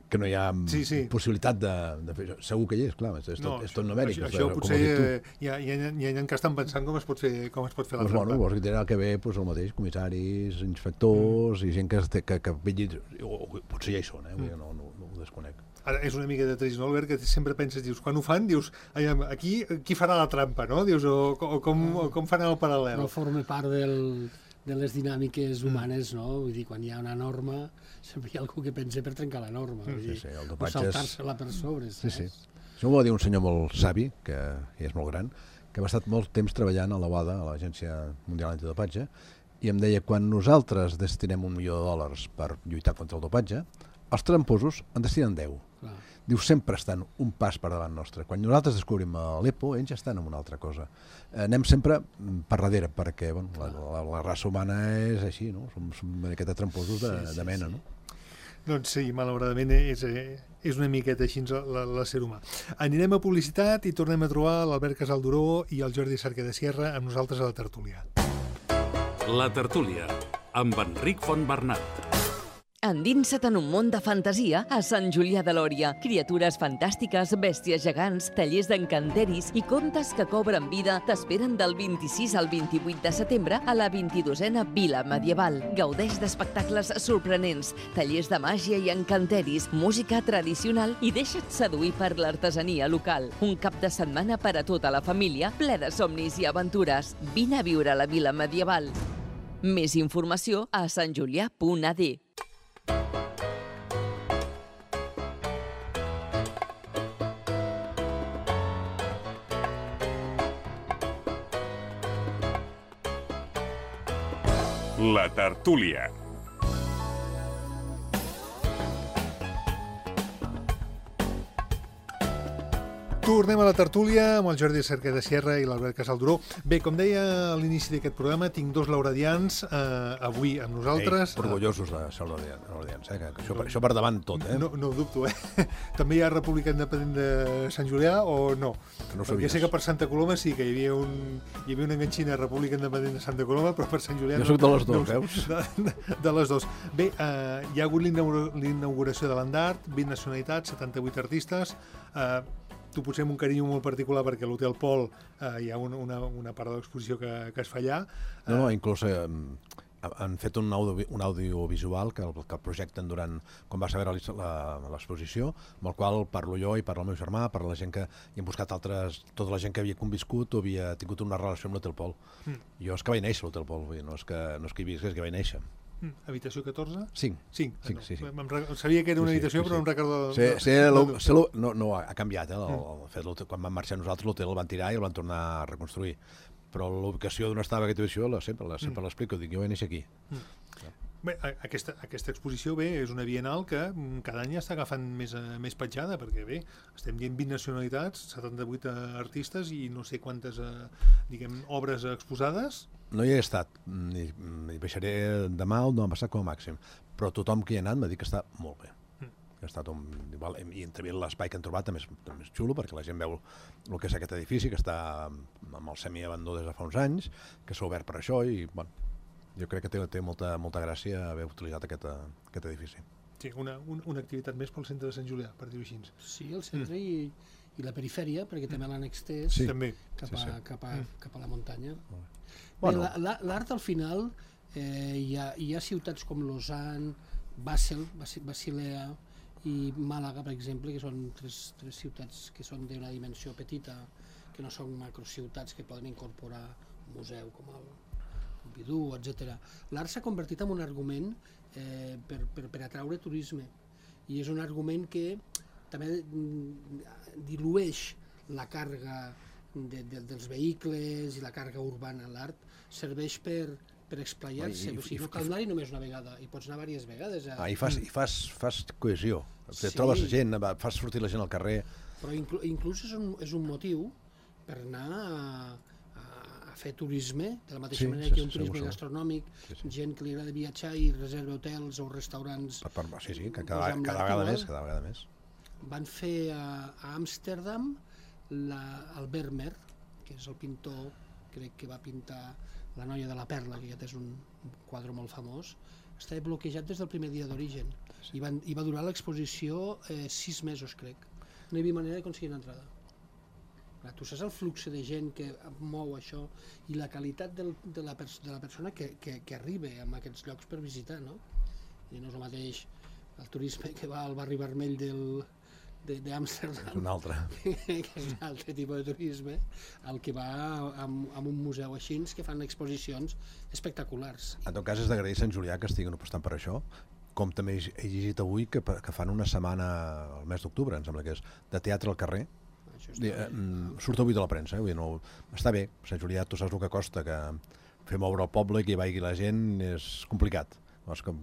que no hi ha sí, sí. possibilitat de, de fer això. Segur que hi és, clar, és, és, no, tot, és tot numèric. Això, això potser hi ha, hi, ha, hi ha que estan pensant com es pot fer, com es pot fer la pues trampa. Bueno, vols que tindrà que ve pues, el mateix, comissaris, inspectors mm. i gent que, que, que vetlli... O, potser ja hi són, eh? Mm. No, no, no ho desconec. Ara, és una mica de trist, no, Albert, que sempre penses, dius, quan ho fan, dius, aquí qui farà la trampa, no? Dius, o, o, com, o com fan el paral·lel. No forma part del, de les dinàmiques humanes, no? Vull dir, quan hi ha una norma, sempre hi ha algú que pensa per trencar la norma. Vull dir, sí, sí, el o saltar-se-la per sobre, sí, sí. Això m'ho va dir un senyor molt savi, que ja és molt gran, que ha estat molt temps treballant a la O A D A, a l'Agència Mundial Antidopatge, i em deia, quan nosaltres destinem un milió de dòlars per lluitar contra el dopatge, els tramposos en destinen deu. Clar. Diu, sempre estan un pas per davant nostre. Quan nosaltres descobrim l'EPO, ells ja estan en una altra cosa. Eh, anem sempre per darrere, perquè bueno, la, la, la raça humana és així, no? Som, som aquests tramposos de, sí, sí, de mena, sí. No? Doncs sí, malauradament és, és una miqueta així l'ésser humà. Anirem a publicitat i tornem a trobar l'Albert Casalduró i el Jordi Cerquer de Sierra amb nosaltres a la tertúlia. La tertúlia, amb Enric Fontbernat. Endinsa't en un món de fantasia a Sant Julià de Lòria. Criatures fantàstiques, bèsties gegants, tallers d'encanteris i contes que cobren vida t'esperen del vint-i-sis al vint-i-vuit de setembre a la vint-i-dosena Vila Medieval. Gaudeix d'espectacles sorprenents, tallers de màgia i encanteris, música tradicional i deixa't seduir per l'artesania local. Un cap de setmana per a tota la família, ple de somnis i aventures. Vine a viure a la Vila Medieval. Més informació a santjulià punt a d. La tertúlia. Tornem a la tertúlia amb el Jordi Cerquer de Sierra i l'Albert Casalduró. Bé, com deia a l'inici d'aquest programa, tinc dos lauradians eh, avui amb nosaltres. Ei, orgullosos de ser lauradians, eh? Que això, no, això per davant tot, eh? No, no ho dubto, eh? També hi ha República Independent de Sant Julià o no? Que no Perquè sé que per Santa Coloma sí que hi havia, un, hi havia una enganxina República Independent de Santa Coloma, però per Sant Julià... Jo no, soc de les dues, no, veus? De, de, de les dues. Bé, eh, hi ha hagut l'inauguració de l'Andart, vint nacionalitats, setanta-vuit artistes... Eh, tu potser amb un carinyo molt particular perquè a l'Hotel Pol eh, hi ha una, una, una part de l'exposició que, que es fa allà. No, no, inclús eh, han fet un, audio, un audiovisual que el, que el projecten durant, quan va saber l'exposició, amb el qual parlo jo i parla el meu germà, parla la gent que hi han buscat altres, tota la gent que havia conviscut o havia tingut una relació amb l'Hotel Pol. Mm. Jo és que vaig néixer a l'Hotel Pol, no és que, no és que hi visc, és que vaig néixer. Mm. Habitació catorze? Cinc. Cinc. Cinc, no. sí, sí. Sabia que era una sí, habitació, sí, sí, però no em recordo... Sí, sí, no, lo, sí, lo, no, no, ha canviat, eh? Mm. El, el, quan vam marxar nosaltres l'hotel el van tirar i el van tornar a reconstruir. Però l'ubicació d'on estava aquesta habitació la, sempre, la, sempre mm. l'explico, dic, jo vaig néixer aquí. Mm. Ja. Bé, aquesta, aquesta exposició bé, és una bienal que cada any està agafant més, més petjada, perquè bé, estem dient vint nacionalitats, setanta-vuit artistes i no sé quantes diguem, obres exposades. No hi he estat, hi baixaré demà o demà passat com a màxim, però tothom que hi ha anat m'ha dit que està molt bé. que ha estat un... Igual, i també l'espai que han trobat també és, també és xulo, perquè la gent veu el que és aquest edifici, que està amb el semiabandó des de fa uns anys, que s'ha obert per això, i bueno, jo crec que té, té molta, molta gràcia haver utilitzat aquest, aquest edifici. Sí, una, un, una activitat més pel centre de Sant Julià, per dir-ho així. Sí, el centre mm. i, i la perifèria, perquè també l'han extès sí. també. Cap, a, sí, sí. Cap, a, cap a la muntanya. Bueno. Bé, l'art al final, eh, hi, ha, hi ha ciutats com Lausanne, Basel, Basilea i Màlaga, per exemple, que són tres, tres ciutats que són d'una dimensió petita, que no són macrociutats que poden incorporar un museu com el Pompidou, etcètera. L'art s'ha convertit en un argument eh, per, per, per atraure turisme, i és un argument que també dilueix la càrrega de, de, dels vehicles i la càrrega urbana. L'art serveix per, per explayar-se, o sigui, no cal anar-hi només una vegada, i pots anar diverses vegades. A... Ah, I fas, i fas, fas cohesió, Sí. trobes gent, fas sortir la gent al carrer. Però inclús, inclús és, un, és un motiu per anar a, a, a fer turisme, de la mateixa Sí, manera sí, que hi ha un sí, turisme segur, gastronòmic, Sí, sí. gent que li agrada viatjar i reserva hotels o restaurants. Per, per, sí, sí, que doncs, cada, amb cada l'art vegada igual. més, cada vegada més. Van fer a, a Amsterdam la, el Vermeer, que és el pintor, crec que va pintar La noia de la perla, que aquest és un, un quadre molt famós, estava bloquejat des del primer dia d'origen, i, van, i va durar l'exposició eh, sis mesos, crec. No hi havia manera d'aconseguir una entrada. Clar, tu saps el flux de gent que mou això i la qualitat del, de, la pers de la persona que, que, que arriba a aquests llocs per visitar, no? I no és el mateix el turisme que va al barri vermell del d'Amsterdam, És un altre. que és un altre tipus de turisme, el que va amb, amb un museu així que fan exposicions espectaculars. En tot cas, és d'agrair a Sant Julià que estiguin apostant per això, com també he llegit avui que, que fan una setmana al mes d'octubre, em sembla que és, de teatre al carrer. Això Dir, eh, surt avui de la premsa, eh? Vull dir, no, està bé, Sant Julià, tu saps el que costa, que fer moure el poble i que hi vagi la gent és complicat. Doncs com,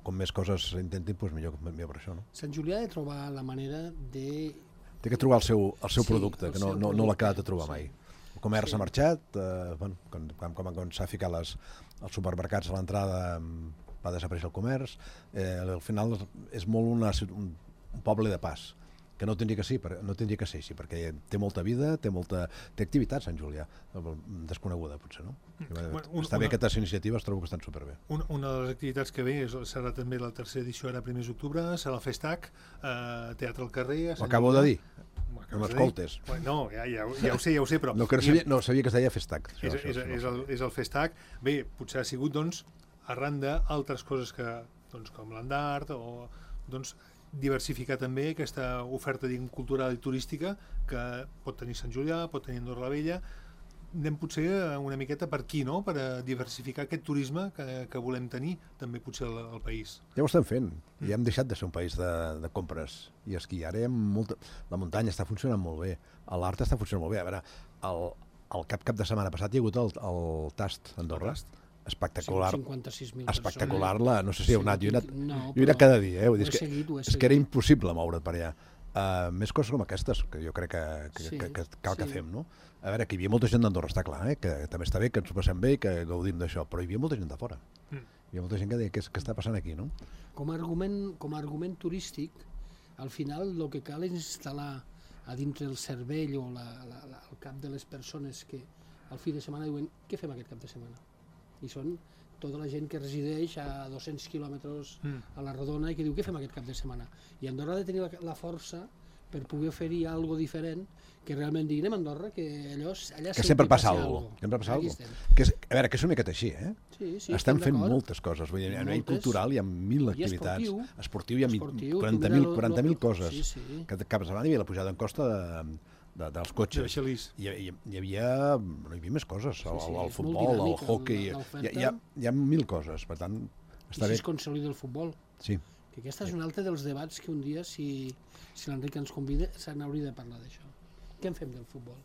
com més coses intentin, doncs millor, millor per això, no? Sant Julià ha de trobar la manera de... Té que trobar el seu, el seu Sí, producte, el que no, seu no, no l'ha producte, quedat de trobar sí. mai. El comerç Sí. ha marxat, eh, bueno, quan, quan, quan, quan s'ha ficat les, els supermercats a l'entrada va desaparèixer el comerç, eh, al final és molt una, un, un poble de pas, que no tindria que, ser, no tindria que ser així, perquè té molta vida, té molta té activitat Sant Julià, desconeguda potser, no? Bueno, un, Està bé, una, aquestes iniciatives trobo que estan superbé. una, una de les activitats que ve és, serà també la tercera edició, ara primers d'octubre, serà el Festac, eh, Teatre al carrer... Ho acabo de dir, Ho acabes no de dir? m'escoltes. Bueno, no, ja, ja, ja ho sé, ja ho sé, però... No, que no, sabia, no sabia que es deia Festac. És, és, és, el, és el Festac. Bé, potser ha sigut, doncs, arran d'altres coses que, doncs, com l'Andart, o, doncs, diversificar també aquesta oferta, diguem, cultural i turística que pot tenir Sant Julià, pot tenir Andorra la Vella. Anem potser una miqueta per aquí, no?, per a diversificar aquest turisme que, que volem tenir també potser al, al país. Ja ho estem fent, ja hem deixat de ser un país de, de compres i esquí. Ara hi ha molta... La muntanya està funcionant molt bé, l'art està funcionant molt bé. A veure, el, el cap cap de setmana passat hi ha hagut el, el Tast a Andorra, espectacular, cinquanta-sis mil espectacular, la, no sé si heu anat, jo he anat, No, jo he anat cada dia, eh? Vull dir, ho he és, que, seguit, ho he és que era seguit. impossible moure't per allà. Uh, més coses com aquestes, que jo crec que, que, Sí, que, que cal que sí. fem, no? A veure, que hi havia molta gent d'Andorra, està clar, eh? Que també està bé, que ens ho passem bé i que gaudim d'això, però hi havia molta gent de fora. Mm. Hi havia molta gent que deia, què, què està passant aquí, no? Com a argument, com a argument turístic, al final el que cal és instal·lar a dintre el cervell o la, la, la, el cap de les persones que al fi de setmana diuen què fem aquest cap de setmana? I són tota la gent que resideix a dos-cents quilòmetres Mm. a la Rodona i que diu què fem aquest cap de setmana? I Andorra ha de tenir la, la força per poder oferir algo diferent que realment digui anem a Andorra, que allò, allà Que sempre passa passa alguna cosa. Sempre passa Aquí alguna estem. que és, A veure, que és una miqueta així, eh? Sí, sí, Estem estem fent d'acord. moltes coses, vull dir, a nivell Moltes. cultural hi ha mil I activitats. esportiu. Esportiu hi ha Esportiu, quaranta tu mil mira lo- quaranta mil lo- coses. sí, sí. Que cap setmana hi havia la pujada en costa de, de, dels De cotxes. Baixalís. Hi, hi, hi, havia, no, hi havia més coses, el, sí, el, el és molt futbol, el dinàmica hockey, la- l'oferta. hi, hi, ha, hi ha mil coses, per tant, I està si bé. es consolida el futbol. Sí. Que aquesta és un altre dels debats que un dia, si, si l'Enric ens convida, se n'hauria de parlar d'això. Què en fem del futbol?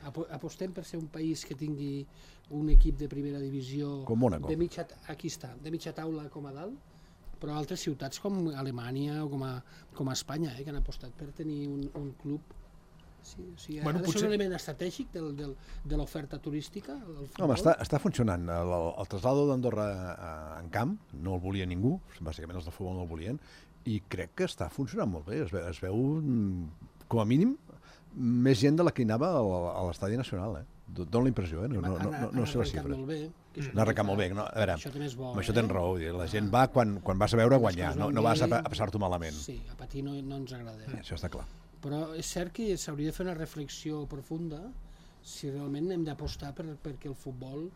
Apo apostem per ser un país que tingui un equip de primera divisió Com Mónaco. de mitja, aquí està, de mitja taula com a dalt, però altres ciutats com Alemanya o com a, com a Espanya, eh, que han apostat per tenir un, un club. Sí, o sigui, Bueno, ha de potser- ser un element estratègic del, del, de l'oferta turística, el futbol. Home, està, està funcionant. El, el traslado d'Andorra en camp no el volia ningú, bàsicament els del futbol no el volien, i crec que està funcionant molt bé. Es veu, es veu com a mínim, més gent de la que hi anava a l'Estadi Nacional, eh? Dóna la impressió, eh? No, no, no, no, no sé les xifres. No ha arrencat molt bé. No, a veure, això també és bo. Amb això tens raó. La gent va quan, quan vas a veure guanyar, no, no vas a, a passar-t'ho malament. Sí, a patir no, no ens agrada. Eh, això està clar. Però és cert que s'hauria de fer una reflexió profunda si realment hem d'apostar per, perquè el futbol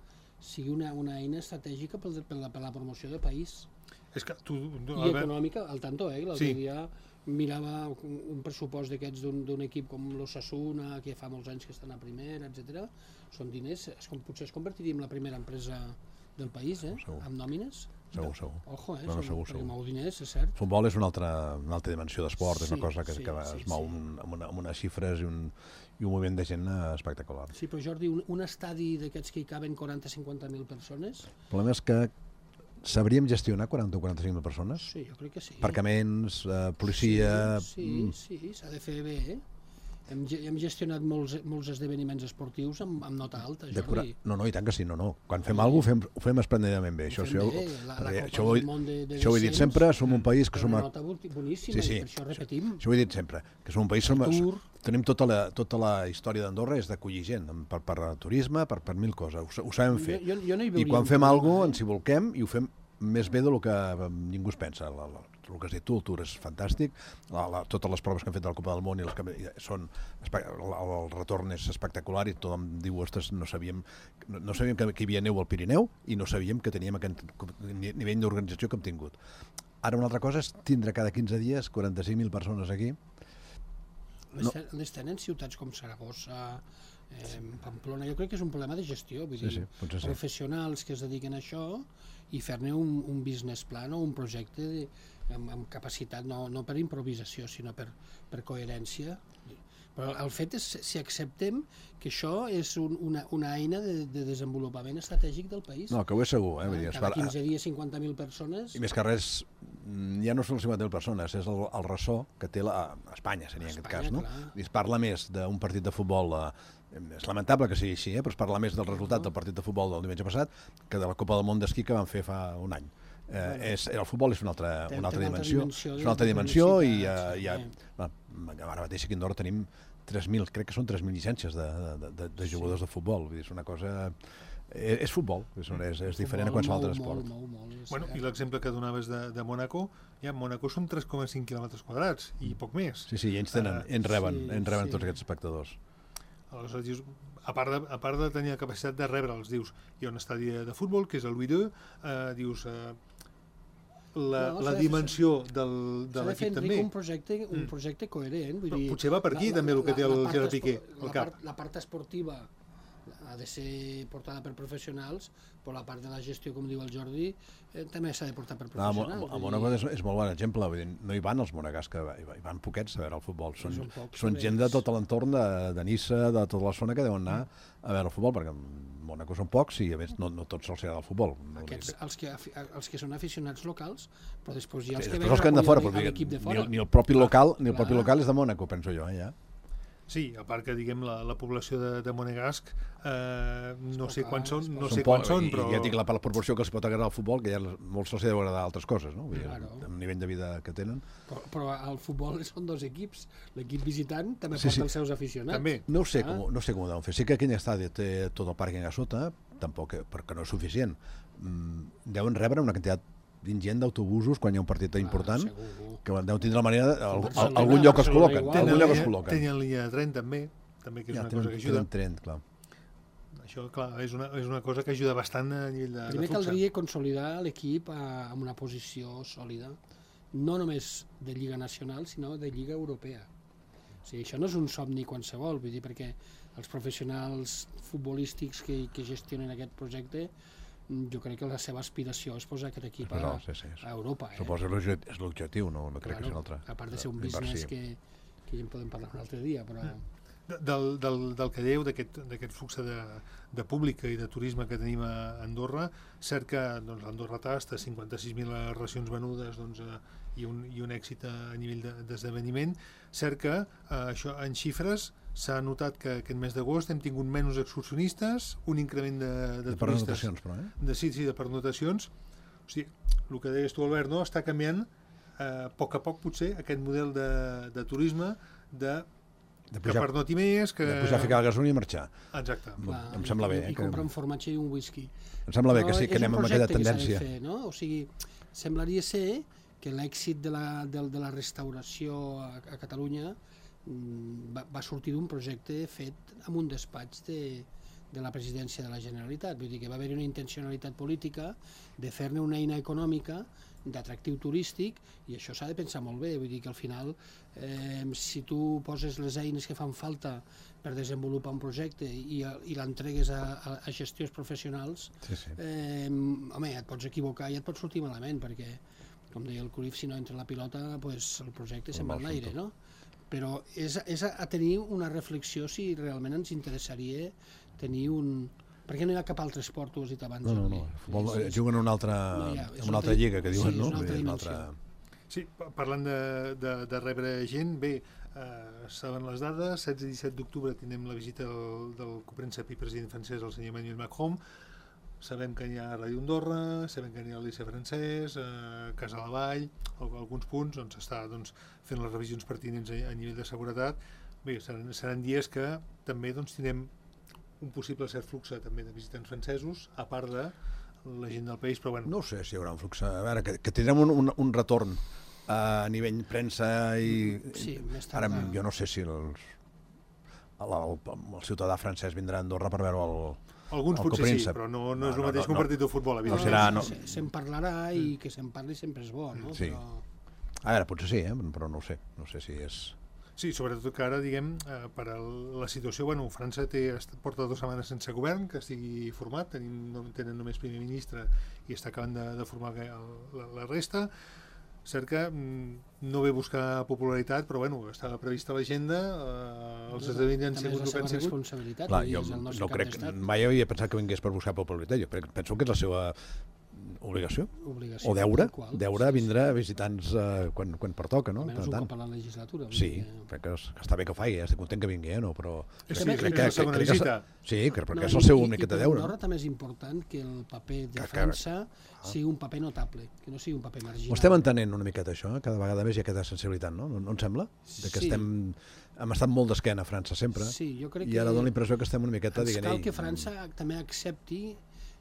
sigui una, una eina estratègica per, per, la, per la promoció del país. És que tu, tu, I econòmica, al tanto, eh? L'altre sí. dia mirava un pressupost d'aquests d'un equip com l'Osasuna, que fa molts anys que estan a primera, etcètera. Són diners, es, potser es convertiria en la primera empresa del país, eh? Segur. Amb nòmines. Segur, segur. Ojo, eh? No, no, Són, segur, segur. Mou diners, és cert. Futbol és una altra, una altra dimensió d'esport, sí, és una cosa que, sí, que sí, es mou sí. amb, una, amb unes xifres i un, i un moviment de gent espectacular. Sí, però Jordi, un, un estadi d'aquests que hi caben quaranta a cinquanta mil persones... El problema és que sabríem gestionar quaranta o quaranta-cinc mil persones? Sí, jo crec que sí. Aparcaments, eh, policia... Sí, sí, sí, s'ha de fer bé, eh? Hem, hem gestionat molts, molts esdeveniments esportius amb, amb nota alta, Jordi. Cura... No, no, i tant que sí, no, no. Quan fem alguna cosa ho fem, ho fem esplèndidament bé. Això, això, bé. La, la això, ho, de, de això ho he dit sempre, som un país que som... Una nota boníssima, sí, sí, i per això repetim. Això, això ho he dit sempre, que som un país... Som, tenim tota la, tota la història d'Andorra és d'acollir gent, per, per turisme, per, per mil coses. Ho, ho sabem fer. Jo, jo, jo no I quan fem alguna cosa ens hi volquem i ho fem més bé del que ningú es pensa. La, la, el que has dit tu, el Tour és fantàstic, la, la, totes les proves que han fet de la Copa del Món i les que són, el, el retorn és espectacular i tothom diu, ostres, no sabíem, no, no sabíem que, que hi havia neu al Pirineu i no sabíem que teníem aquest nivell d'organització que hem tingut. Ara una altra cosa és tindre cada quinze dies quaranta-cinc mil persones aquí. Les, no. les tenen ciutats com Saragossa, eh, Pamplona, jo crec que és un problema de gestió, vull sí, dir, sí, professionals que es dediquen a això i fer-ne un, un business plan o un projecte de, amb, amb capacitat, no, no per improvisació, sinó per, per coherència. Però el fet és si acceptem que això és un, una, una eina de, de desenvolupament estratègic del país. No, que ho és segur. Eh? Ah, cada quinze dies cinquanta mil persones... I més que res, ja no són cinquanta mil persones, és el, el ressò que té la, a Espanya, seria en aquest cas. No? I es parla més d'un partit de futbol... Eh, és lamentable que sigui així, eh? Però es parla més del resultat del partit de futbol del diumenge passat que de la Copa del Món d'esquí que van fer fa un any. Eh, bueno, és, el futbol és una altra, una altra dimensió, dimensió és una altra dimensió i uh, ja, ja, ara mateix aquí a Andorra tenim tres mil, crec que són tres mil llicències de, de, de, de jugadors sí. de futbol, vull dir, és una cosa... És, és futbol, és, és, és diferent a qualsevol altre esport. Molt, molt, molt, bueno, I l'exemple que donaves de, de Mónaco, ja Mónaco són tres coma cinc quilòmetres quadrats i poc més. Sí, sí, i ells, tenen, ells reben, sí, ells reben sí. tots aquests espectadors. Aleshores dius, a part, de, a part de tenir la capacitat de rebre'ls, dius, hi ha un estadi de futbol, que és el Louis deux, eh, dius, eh, la, no, la dimensió fer, del, de l'equip també. Un projecte, un projecte coherent. Vull dir, potser va per aquí la, també el que té el Gerard Piqué al cap. Part, la part esportiva ha de ser portada per professionals, però la part de la gestió, com diu el Jordi, eh, també s'ha de portar per professionals. No, a Mónaco és, és molt bon exemple, vull dir, no hi van els monegars, que hi van poquets a veure el futbol, són, pocs, són gent de tot l'entorn de, de Niça, de tota la zona que deuen anar a veure el futbol, perquè Mónaco són pocs i a més no, no tots els agrada el futbol. No Aquests, els, que, els que són aficionats locals, però després hi ha els sí, que venen a fora, l'equip de fora. Ni, ni el propi local, ni el propi local és de Mónaco, penso jo, eh, ja. Sí, a part que diguem la, la població de, de Monegasc eh, no sé quants són, no són sé quants són, però... I ja dic la, la proporció que els pot agradar al futbol, que ja molts se'ls deu agradar altres coses, no? Vull dir, claro. El nivell de vida que tenen. Però, però al futbol són dos equips. L'equip visitant també sí, porta sí. els seus aficionats. També. No ho sé, ah. com, no sé com ho deuen fer. Sí que aquell estadi té tot el pàrquing a sota, tampoc, perquè no és suficient. Mm, deuen rebre una quantitat ingent d'autobusos quan hi ha un partit important, ah, que deu tindre la manera de, al, al, algun lloc es col·loquen. Algun lloc es col·loquen. Tenen línia de tren també, també que és ja, una tenen, cosa que ajuda. Tren, clar. Això, clar, és una, és una cosa que ajuda bastant a nivell de, Primer de flux. Caldria consolidar l'equip amb una posició sòlida, no només de Lliga Nacional, sinó de Lliga Europea. O sigui, això no és un somni qualsevol, vull dir, perquè els professionals futbolístics que, que gestionen aquest projecte, jo crec que la seva aspiració és posar aquest equip a, sí, sí, a Europa. Eh? Suposo que és l'objectiu, no, no crec claro, que és un altre. A part de ser un business que, que ja en podem parlar un altre dia, però... Del, del, del que dèieu, d'aquest flux de, de públic i de turisme que tenim a Andorra, cert que doncs, l'Andorra tasta cinquanta-sis mil racions venudes doncs, eh, i, un, i un èxit a nivell d'esdeveniment, cert que eh, això en xifres s'ha notat que aquest mes d'agost hem tingut menys excursionistes, un increment de, de, de turistes... Però, eh? De, sí, sí, de pernotacions. O sigui, el que deies tu, Albert, no? Està canviant a poc a poc, potser, aquest model de, de turisme de, De que pujar, per no més... Que... de pujar a ficar la gasolina i marxar. Exacte. Em, Clar, em sembla bé. I, Eh, i que, comprar un formatge i un whisky. em sembla bé Però que sí, que anem amb aquella tendència. És un projecte que s'ha de fer, no? O sigui, semblaria ser que l'èxit de, la, de, de la restauració a, a Catalunya mm, va, va sortir d'un projecte fet amb un despatx de, de la presidència de la Generalitat. Vull dir que va haver-hi una intencionalitat política de fer-ne una eina econòmica d'atractiu turístic, i això s'ha de pensar molt bé. Vull dir que al final, eh, si tu poses les eines que fan falta per desenvolupar un projecte i, i l'entregues a, a, a gestiors professionals, Sí, sí. eh, home, et pots equivocar i et pot sortir malament, perquè, com deia el Cruyff, si no entra la pilota, pues, el projecte se'n va mal en l'aire, fet. no? Però és, és a, a tenir una reflexió si realment ens interessaria tenir un... Per què no hi ha cap altre esport, tu ho has dit abans? No, no, no. Jordi? Futbol, És- eh, és- juguen en una altra, No hi ha, és en una una altra altra- lliga, que sí, diuen, és no? una altra Vull dir, dimensió. Sí, pa- parlant de, de, de rebre gent, bé, eh, saben les dades, setze i disset d'octubre tindrem la visita del, del copríncep i president francès, el senyor Emmanuel Macron. Sabem que hi ha Ràdio Andorra, sabem que hi ha el Liceu francès, eh, Casa la Vall, al- alguns punts on s'està doncs, fent les revisions pertinents a, a nivell de seguretat. Bé, seran, seran dies que també doncs, tindrem un possible cert flux també de visitants francesos, a part de la gent del país, però bueno... No ho sé si hi haurà un flux. A veure, que, que tindrem un, un, un retorn a nivell premsa i... Sí, més Ara, tardà. jo no sé si els, el, el, el ciutadà francès vindrà a Andorra per veure el, Alguns el potser sí, copríncep. però no, no, No, és el no, mateix no, que un no. partit de futbol, No evidentment. serà, no. Se- Se'n parlarà i que se'n parli sempre és bo, no? Sí. Però... A veure, potser sí, eh? Però no ho sé. No sé si és... Sí, sobretot que ara, diguem, eh, per a la situació, bueno, França té, est- porta dues setmanes sense govern, que estigui format, tenim, no, tenen només primer ministre i està acabant de, de formar el, la, la resta. Cert que mm, no ve a buscar popularitat, però bueno, estava prevista a l'agenda, eh, els esdeveniments han També sigut és el que la han seva sigut. responsabilitat, Clar, vull dir, jo és el nostre no cap crec, d'estat. mai havia pensat que vingués per buscar popularitat. Jo crec, penso que és la seva obligació. Obligació, O deure, tal qual. deure Sí, sí. vindre a visitants eh, quan, quan pertoca, no? Almenys Per un tant. cop a la legislatura. vull Sí, dir que- crec que, és, que està bé que ho faci, eh? Estic content que vingui, eh? No, però... Sí, sí, crec que és la segona crec que visita. Sí, crec, perquè No, és el i- seu i- únic i que té per deure. Andorra també és important que el paper de Que- que- França sigui un paper notable, que no sigui un paper marginal. Ho estem entenent una miqueta, això, eh? Cada vegada més hi ha aquesta sensibilitat, no? No, no et sembla? De que Sí. estem... Hem estat molt d'esquena a França, sempre. Sí, jo crec I ara que dona la impressió que estem una miqueta ens dient... cal "Ei, que França també accepti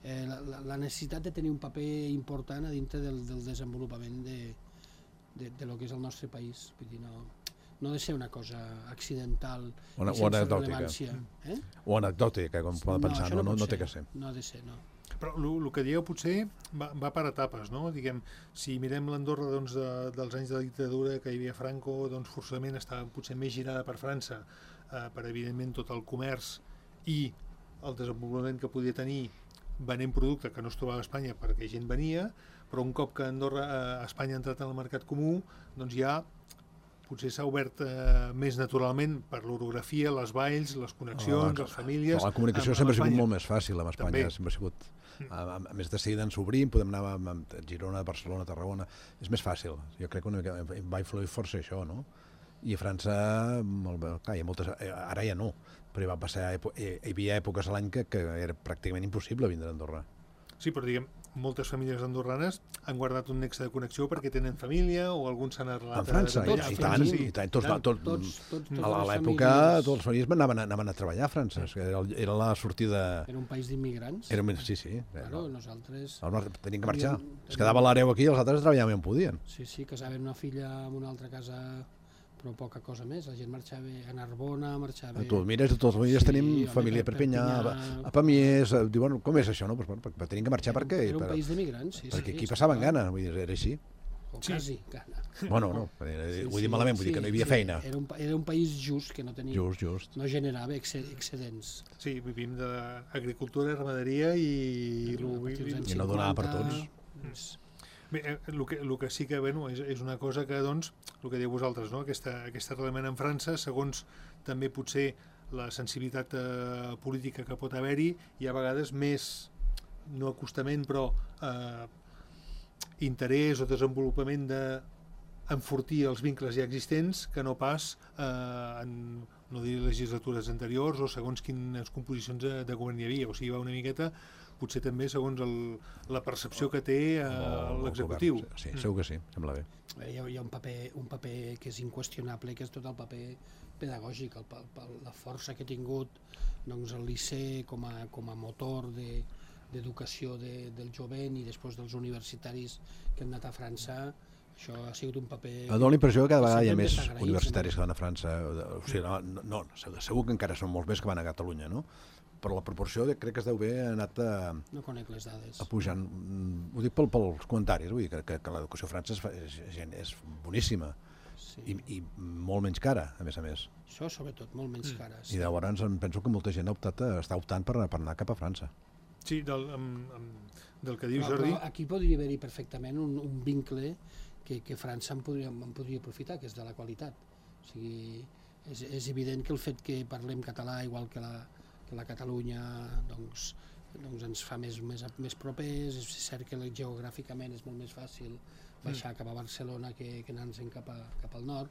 eh, la, la, la necessitat de tenir un paper important a dintre del, del desenvolupament de, de, de lo que és el nostre país. Vull dir, no, no ha de ser una cosa accidental O, o i sense anecdòtica. rellevància. Eh? O anecdòtica, com poden pensar, això no, no, pot no té que ser. No ha de ser, no. Però el que dieu potser va, va per etapes, no? Diguem, si mirem l'Andorra doncs, de, dels anys de la dictadura que hi havia Franco, doncs forçament estava potser més girada per França, eh, per evidentment tot el comerç i el desenvolupament que podia tenir venent producte que no es trobava a Espanya perquè gent venia, però un cop que Andorra, eh, Espanya ha entrat en el mercat comú, doncs ja potser s'ha obert eh, més naturalment per l'orografia, les valls, les connexions, Ah, les famílies... Però la comunicació amb- amb sempre ha sigut Espanya. molt més fàcil amb Espanya, També. sempre ha sigut... A, a, a més de seguida ens obrim, podem anar a, a Girona, Barcelona, Tarragona, és més fàcil. Jo crec que una mica va influir força això, no? I a França, molt bé, clar, hi ha moltes, ara ja no, però hi, va passar, hi havia èpoques a l'any que, que era pràcticament impossible vindre a Andorra. Sí, però diguem, moltes famílies andorranes han guardat un nexe de connexió perquè tenen família o alguns s'han arrelat... En França, de- i, de- i a tant, França, sí. i tant, tots, Tant. tots, Tots, tots, totes a la- a les l'època famílies- tots els famílies anaven, a- anaven a treballar a França, que era, el- era la sortida... Era un país d'immigrants. Era, sí, sí. Claro, nosaltres... Aleshores tenien que marxar. Teníem- Es quedava l'hereu aquí i els altres treballaven on podien. Sí, sí, casaven una filla en una altra casa, però poca cosa més. La gent marxava a Narbona, marxava... Tu el mires, tots els famílies Sí, tenim home, família a per Perpinyà, Perpinyà. a Pamiers, a- diuen, com és això, no? Pues, bueno, perquè tenien que marxar, per què? Era un Per- país d'immigrants, sí. perquè sí, aquí està passaven clar. gana, vull dir, era així. O Sí. quasi gana. Bueno, no, era- Sí, ho he sí, dit malament, vull dir sí, que no hi havia sí. feina. Era un, pa- era un país just, que no tenia... Just, just. No generava exce- excedents. Sí, vivim d'agricultura, ramaderia i... A partir dels anys I no donava per cinquanta, tots. és- Bé, eh, el que, el que sí que bueno, és, és una cosa que, doncs, el que diu vosaltres, no? aquesta, aquest arrelament en França, segons també potser la sensibilitat eh, política que pot haver-hi, hi ha a vegades més, no acostament, però eh, interès o desenvolupament de enfortir els vincles ja existents que no pas eh, en, no diré legislatures anteriors o segons quines composicions de, de govern hi havia. O sigui, va una miqueta potser també segons el, la percepció que té eh, l'executiu. Sí, sí, segur que sí, sembla bé. Hi ha, hi ha un, paper, un paper que és inqüestionable, que és tot el paper pedagògic, el, el, la força que ha tingut doncs, el Liceu com a, com a motor de, d'educació de, del jovent i després dels universitaris que han anat a França. Això ha sigut un paper... Em dóna la impressió que cada vegada hi ha més desagraïts, universitaris que van a França. O sigui, no, no, no, segur que encara són molts més que van a Catalunya, no? Però la proporció de, crec que es deu haver anat a, no conec les dades. A pujant. Ho dic pel, pels comentaris, vull dir que, que, que l'educació a França és, és, és boníssima. Sí. I, I molt menys cara, a més a més. Això, sobretot, molt menys cara. Sí. I llavors em penso que molta gent ha optat, està optant per, per anar cap a França. Sí, del, amb, amb, del que dius, però, Jordi... Però aquí podria haver-hi perfectament un, un vincle que, que França en podria, en podria aprofitar, que és de la qualitat. O sigui, és, és evident que el fet que parlem català igual que la, que la Catalunya doncs, doncs ens fa més, més, més propers, és cert que geogràficament és molt més fàcil baixar mm. cap a Barcelona que, que anar-se'n cap, a, cap al nord,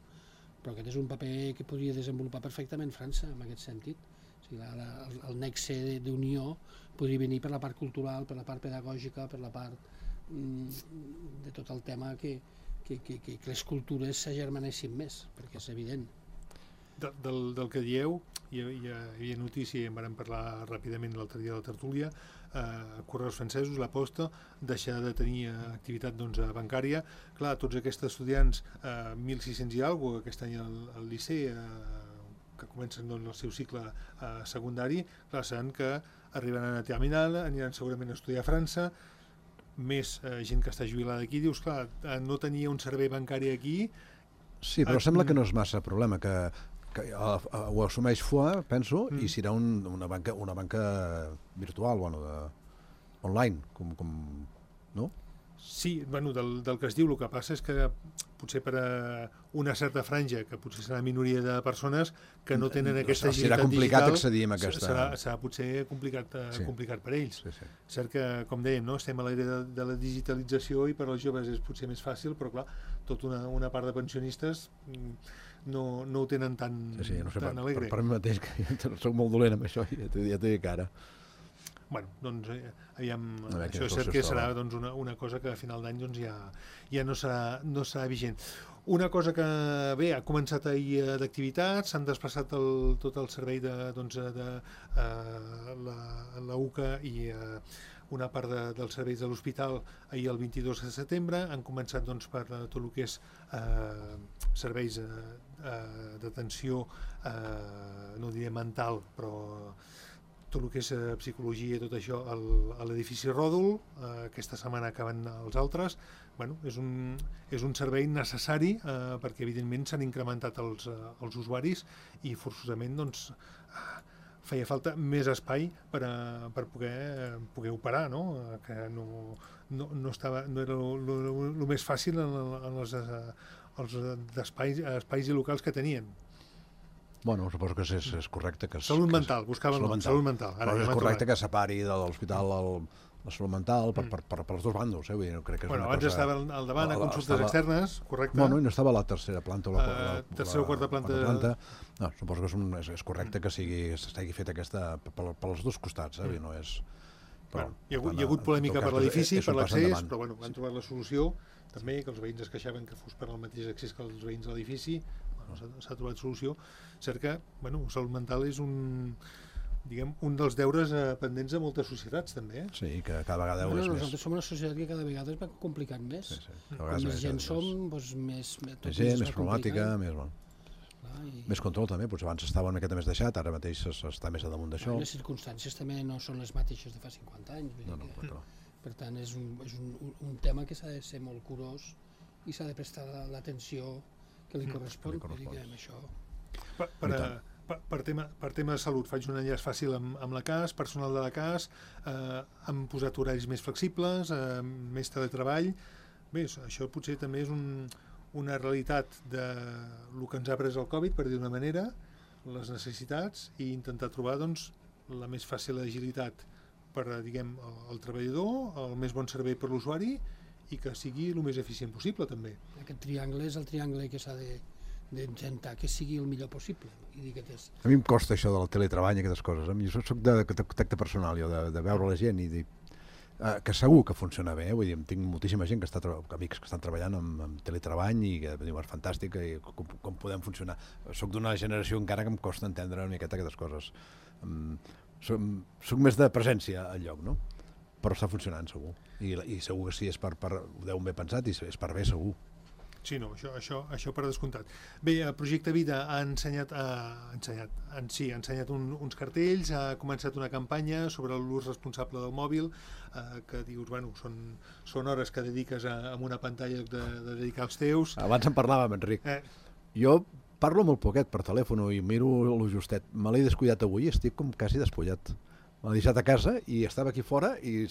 però aquest és un paper que podria desenvolupar perfectament França en aquest sentit. O sigui, la, la, el, el nexe d'unió podria venir per la part cultural, per la part pedagògica, per la part mm, de tot el tema que, que, que, que les cultures s'agermanessin més, perquè és evident. De, del, del que dieu, hi, hi, hi havia notícia i en vam parlar ràpidament l'altre dia de la tertúlia, eh, Correus Francesos, la Posta, deixar de tenir activitat doncs, bancària. Clar, tots aquests estudiants, eh, mil sis-cents i alguna cosa, aquest any al, al Liceu, eh, que comencen doncs, el seu cicle eh, secundari, clar, saben que arribaran a terminal, aniran segurament a estudiar a França, més eh, gent que està jubilada aquí, dius, clar, eh, no tenia un servei bancari aquí. Sí, però eh, sembla que no és massa problema, que, que uh, uh, ho assumeix F O A, penso, mm. i serà un, una, banca, una banca virtual, bueno, de, online, com, com, no? Sí, bueno, del, del que es diu, el que passa és que potser per a una certa franja, que potser serà minoria de persones que no tenen aquesta agilitat digital... Serà complicat accedir a aquesta... Serà, serà potser complicat, sí. complicat per ells. Sí, sí. Cert que, com dèiem, no? Estem a l'era de, de la digitalització i per als joves és potser més fàcil, però clar, tota una, una part de pensionistes no, no ho tenen tan, sí, sí, no sé, tan per, alegre. Per, per mi mateix, que jo soc molt dolent amb això, ja t'ho ja dic ara. Bueno, doncs, eh, aviam, veure, això és cert que serà doncs, una, una cosa que a final d'any doncs, ja, ja no, serà, no serà vigent. Una cosa que, bé, ha començat ahir eh, d'activitats, s'han desplaçat el, tot el servei de, doncs, de eh, la, la U C A i eh, una part de, dels serveis de l'hospital ahir el vint-i-dos de setembre, han començat doncs, per tot el que és eh, serveis eh, eh, d'atenció, eh, no diré mental, però tot el que és eh, psicologia i tot això al, a l'edifici Ròdol. Eh, aquesta setmana acaben els altres. Bueno, és, un, és un servei necessari eh, perquè evidentment s'han incrementat els, eh, els usuaris i forçosament doncs, feia falta més espai per, a, per poder, eh, poder operar, no? Que no, no, no, estava, no era el més fàcil en, en els, els espais, espais i locals que tenien. Bueno, suposo que és, és correcte que... Salut que mental, buscaven salut mental. Salut mental. Ara, però és correcte que separi de l'hospital el, la salut mental per, per, per, per els dos bandos, eh? Vull dir, no crec que és bueno, una abans cosa... estava al davant a consultes estava... externes, correcte. Bueno, i no estava a la tercera planta o la, uh, la, tercera o quarta planta. quarta planta. No, suposo que és, un, és, és correcte que sigui s'estigui fet aquesta per, per els dos costats, eh? Mm. No és... Però, bueno, hi, ha hagut, hi ha hagut polèmica per l'edifici, per l'accés, però bueno, han trobat la solució també, que els veïns es queixaven que fos per al mateix accés que els veïns de l'edifici. Bueno, s'ha trobat solució. Cert que, bueno, salut mental és un, diguem, un dels deures eh, pendents de moltes societats, també. Eh? Sí, que cada vegada bueno, és més... Nosaltres som una societat que cada vegada es va complicant més. Sí, sí. Com més gent som, doncs més... Més gent, més problemàtica, més... Bueno. Clar, i... Més control també, potser abans estava una miqueta més deixat, ara mateix està més a damunt d'això. Les circumstàncies també no són les mateixes de fa cinquanta anys. No, no, que, no. Per tant, és un, és un, un tema que s'ha de ser molt curós i s'ha de prestar l'atenció que li correspon, mm, que li això. Per, per, per, per, tema, per tema de salut, faig un enllaç fàcil amb, amb la C A S, personal de la C A S, eh, han posat horaris més flexibles, eh, més teletreball. Bé, això potser també és un, una realitat de el que ens ha pres el Covid, per dir d'una manera, les necessitats, i intentar trobar doncs, la més fàcil agilitat per, diguem, el, el treballador, el més bon servei per l'usuari, i que sigui el més eficient possible, també. Aquest triangle és el triangle que s'ha de d'intentar que sigui el millor possible. I dir que és... A mi em costa això del teletreball i aquestes coses. A mi jo soc de tacte personal, jo, de, de veure la gent i dir, eh, que segur que funciona bé, vull dir, tinc moltíssima gent que està, amics que estan treballant amb, amb teletreball i que diu, és fantàstic i com, com podem funcionar. Soc d'una generació encara que em costa entendre una miqueta aquestes coses. Um, soc, soc més de presència al lloc, no? Però està funcionant segur, i, i segur que sí, és per, per, ho deu ben pensat i és per bé segur. Sí, no, això, això, això per descomptat. Bé, el Projecte Vida ha ensenyat, ha ensenyat, en, sí, ha ensenyat un, uns cartells, ha començat una campanya sobre l'ús responsable del mòbil, eh, que dius, bueno, són, són hores que dediques a, a una pantalla de, de dedicar als teus. Abans en parlàvem, Enric. Eh. Jo parlo molt poquet per telèfon i miro lo justet. Me l'he descuidat avui i estic com quasi despullat. M'ha deixat a casa i estava aquí fora i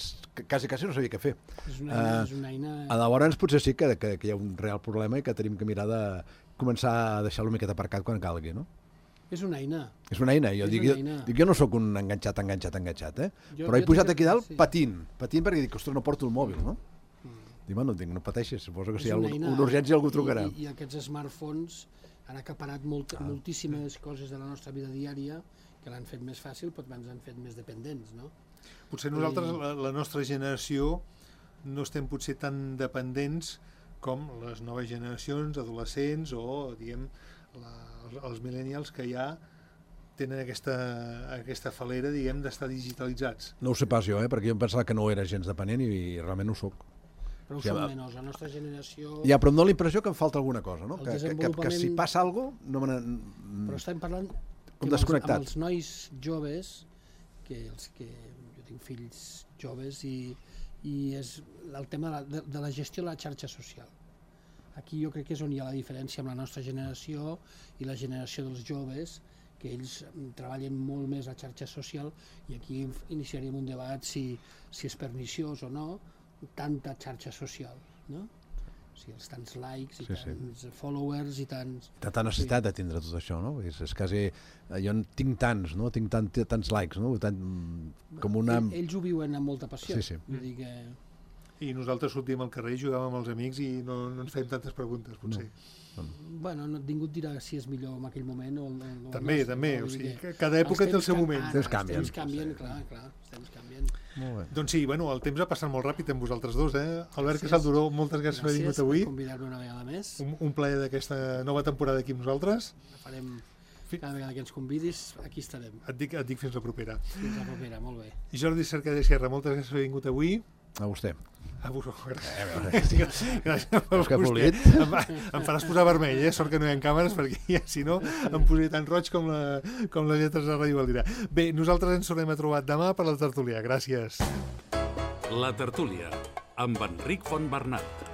quasi, quasi no sabia què fer. És una eina... Uh, és una eina... Llavors potser sí que, que, que hi ha un real problema i que tenim que mirar de començar a deixar-lo una miqueta aparcat quan calgui, no? És una eina. És una eina. Jo, és dic, una jo, eina. dic, jo no sóc un enganxat, enganxat, enganxat, eh? Jo, Però he jo pujat aquí dalt sí. patint, patint perquè dic, ostres, no porto el mòbil, no? Mm. Dic, bueno, dic, no pateixis, suposo que si hi ha una, una urgència algú trucarà. I, i aquests smartphones han acaparat molt, ah. moltíssimes coses de la nostra vida diària que l'han fet més fàcil, però ens han fet més dependents, no? Potser nosaltres, la, la nostra generació, no estem potser tan dependents com les noves generacions, adolescents o, diguem, la, els, els millennials que ja tenen aquesta, aquesta falera, diguem, d'estar digitalitzats. No ho sé pas jo, eh? Perquè jo em pensava que no era gens dependent i, i realment ho soc. Però ho som menys, la nostra generació... Ja, però em dona la impressió que em falta alguna cosa, no? Que, desenvolupament... que, que, que si passa alguna cosa... No me però estem parlant com desconnectat. Amb els nois joves, que els que... tinc fills joves i, i és el tema de la, de la gestió de la xarxa social. Aquí jo crec que és on hi ha la diferència amb la nostra generació i la generació dels joves, que ells treballen molt més la xarxa social i aquí iniciaríem un debat si, si és perniciós o no tanta xarxa social, no? O sigui, els tants likes i sí, tants sí. followers i tants... Tanta necessitat sí. de tindre tot això, no? És, és quasi... Jo en tinc tants, no? Tinc tant, tants likes, no? Tant, com una... Ells ho viuen amb molta passió. Sí, sí. Vull dir que... I nosaltres sortim al carrer, jugàvem amb els amics i no, no ens fèiem tantes preguntes, potser. No. Bueno, no, ningú et dirà si és millor en aquell moment o... o també, no, també, no, o sigui, que cada època té el seu moment. Els temps canvien. Els temps canvien, clar, clar, els temps canvien. Molt bé. Doncs sí, bueno, el temps ha passat molt ràpid amb vosaltres dos, eh? Albert Casalduró, moltes gràcies per haver vingut avui. Gràcies per convidar-me una vegada més. Un, un plaer d'aquesta nova temporada aquí amb nosaltres. Farem cada vegada que ens convidis, aquí estarem. Et dic, et dic fins la propera. Fins la propera, molt bé. I Jordi Cercadell Sierra, moltes gràcies per haver vingut avui. A vostè. A vostè, gràcies. Gràcies per vostè. Em, em faràs posar vermell, eh? Sort que no hi ha càmeres, perquè ja, si no, em posaré tan roig com, la, com les lletres de Ràdio Valdirà. Bé, nosaltres ens tornem a trobar demà per la tertúlia. Gràcies. La tertúlia, amb Enric Fontbernat.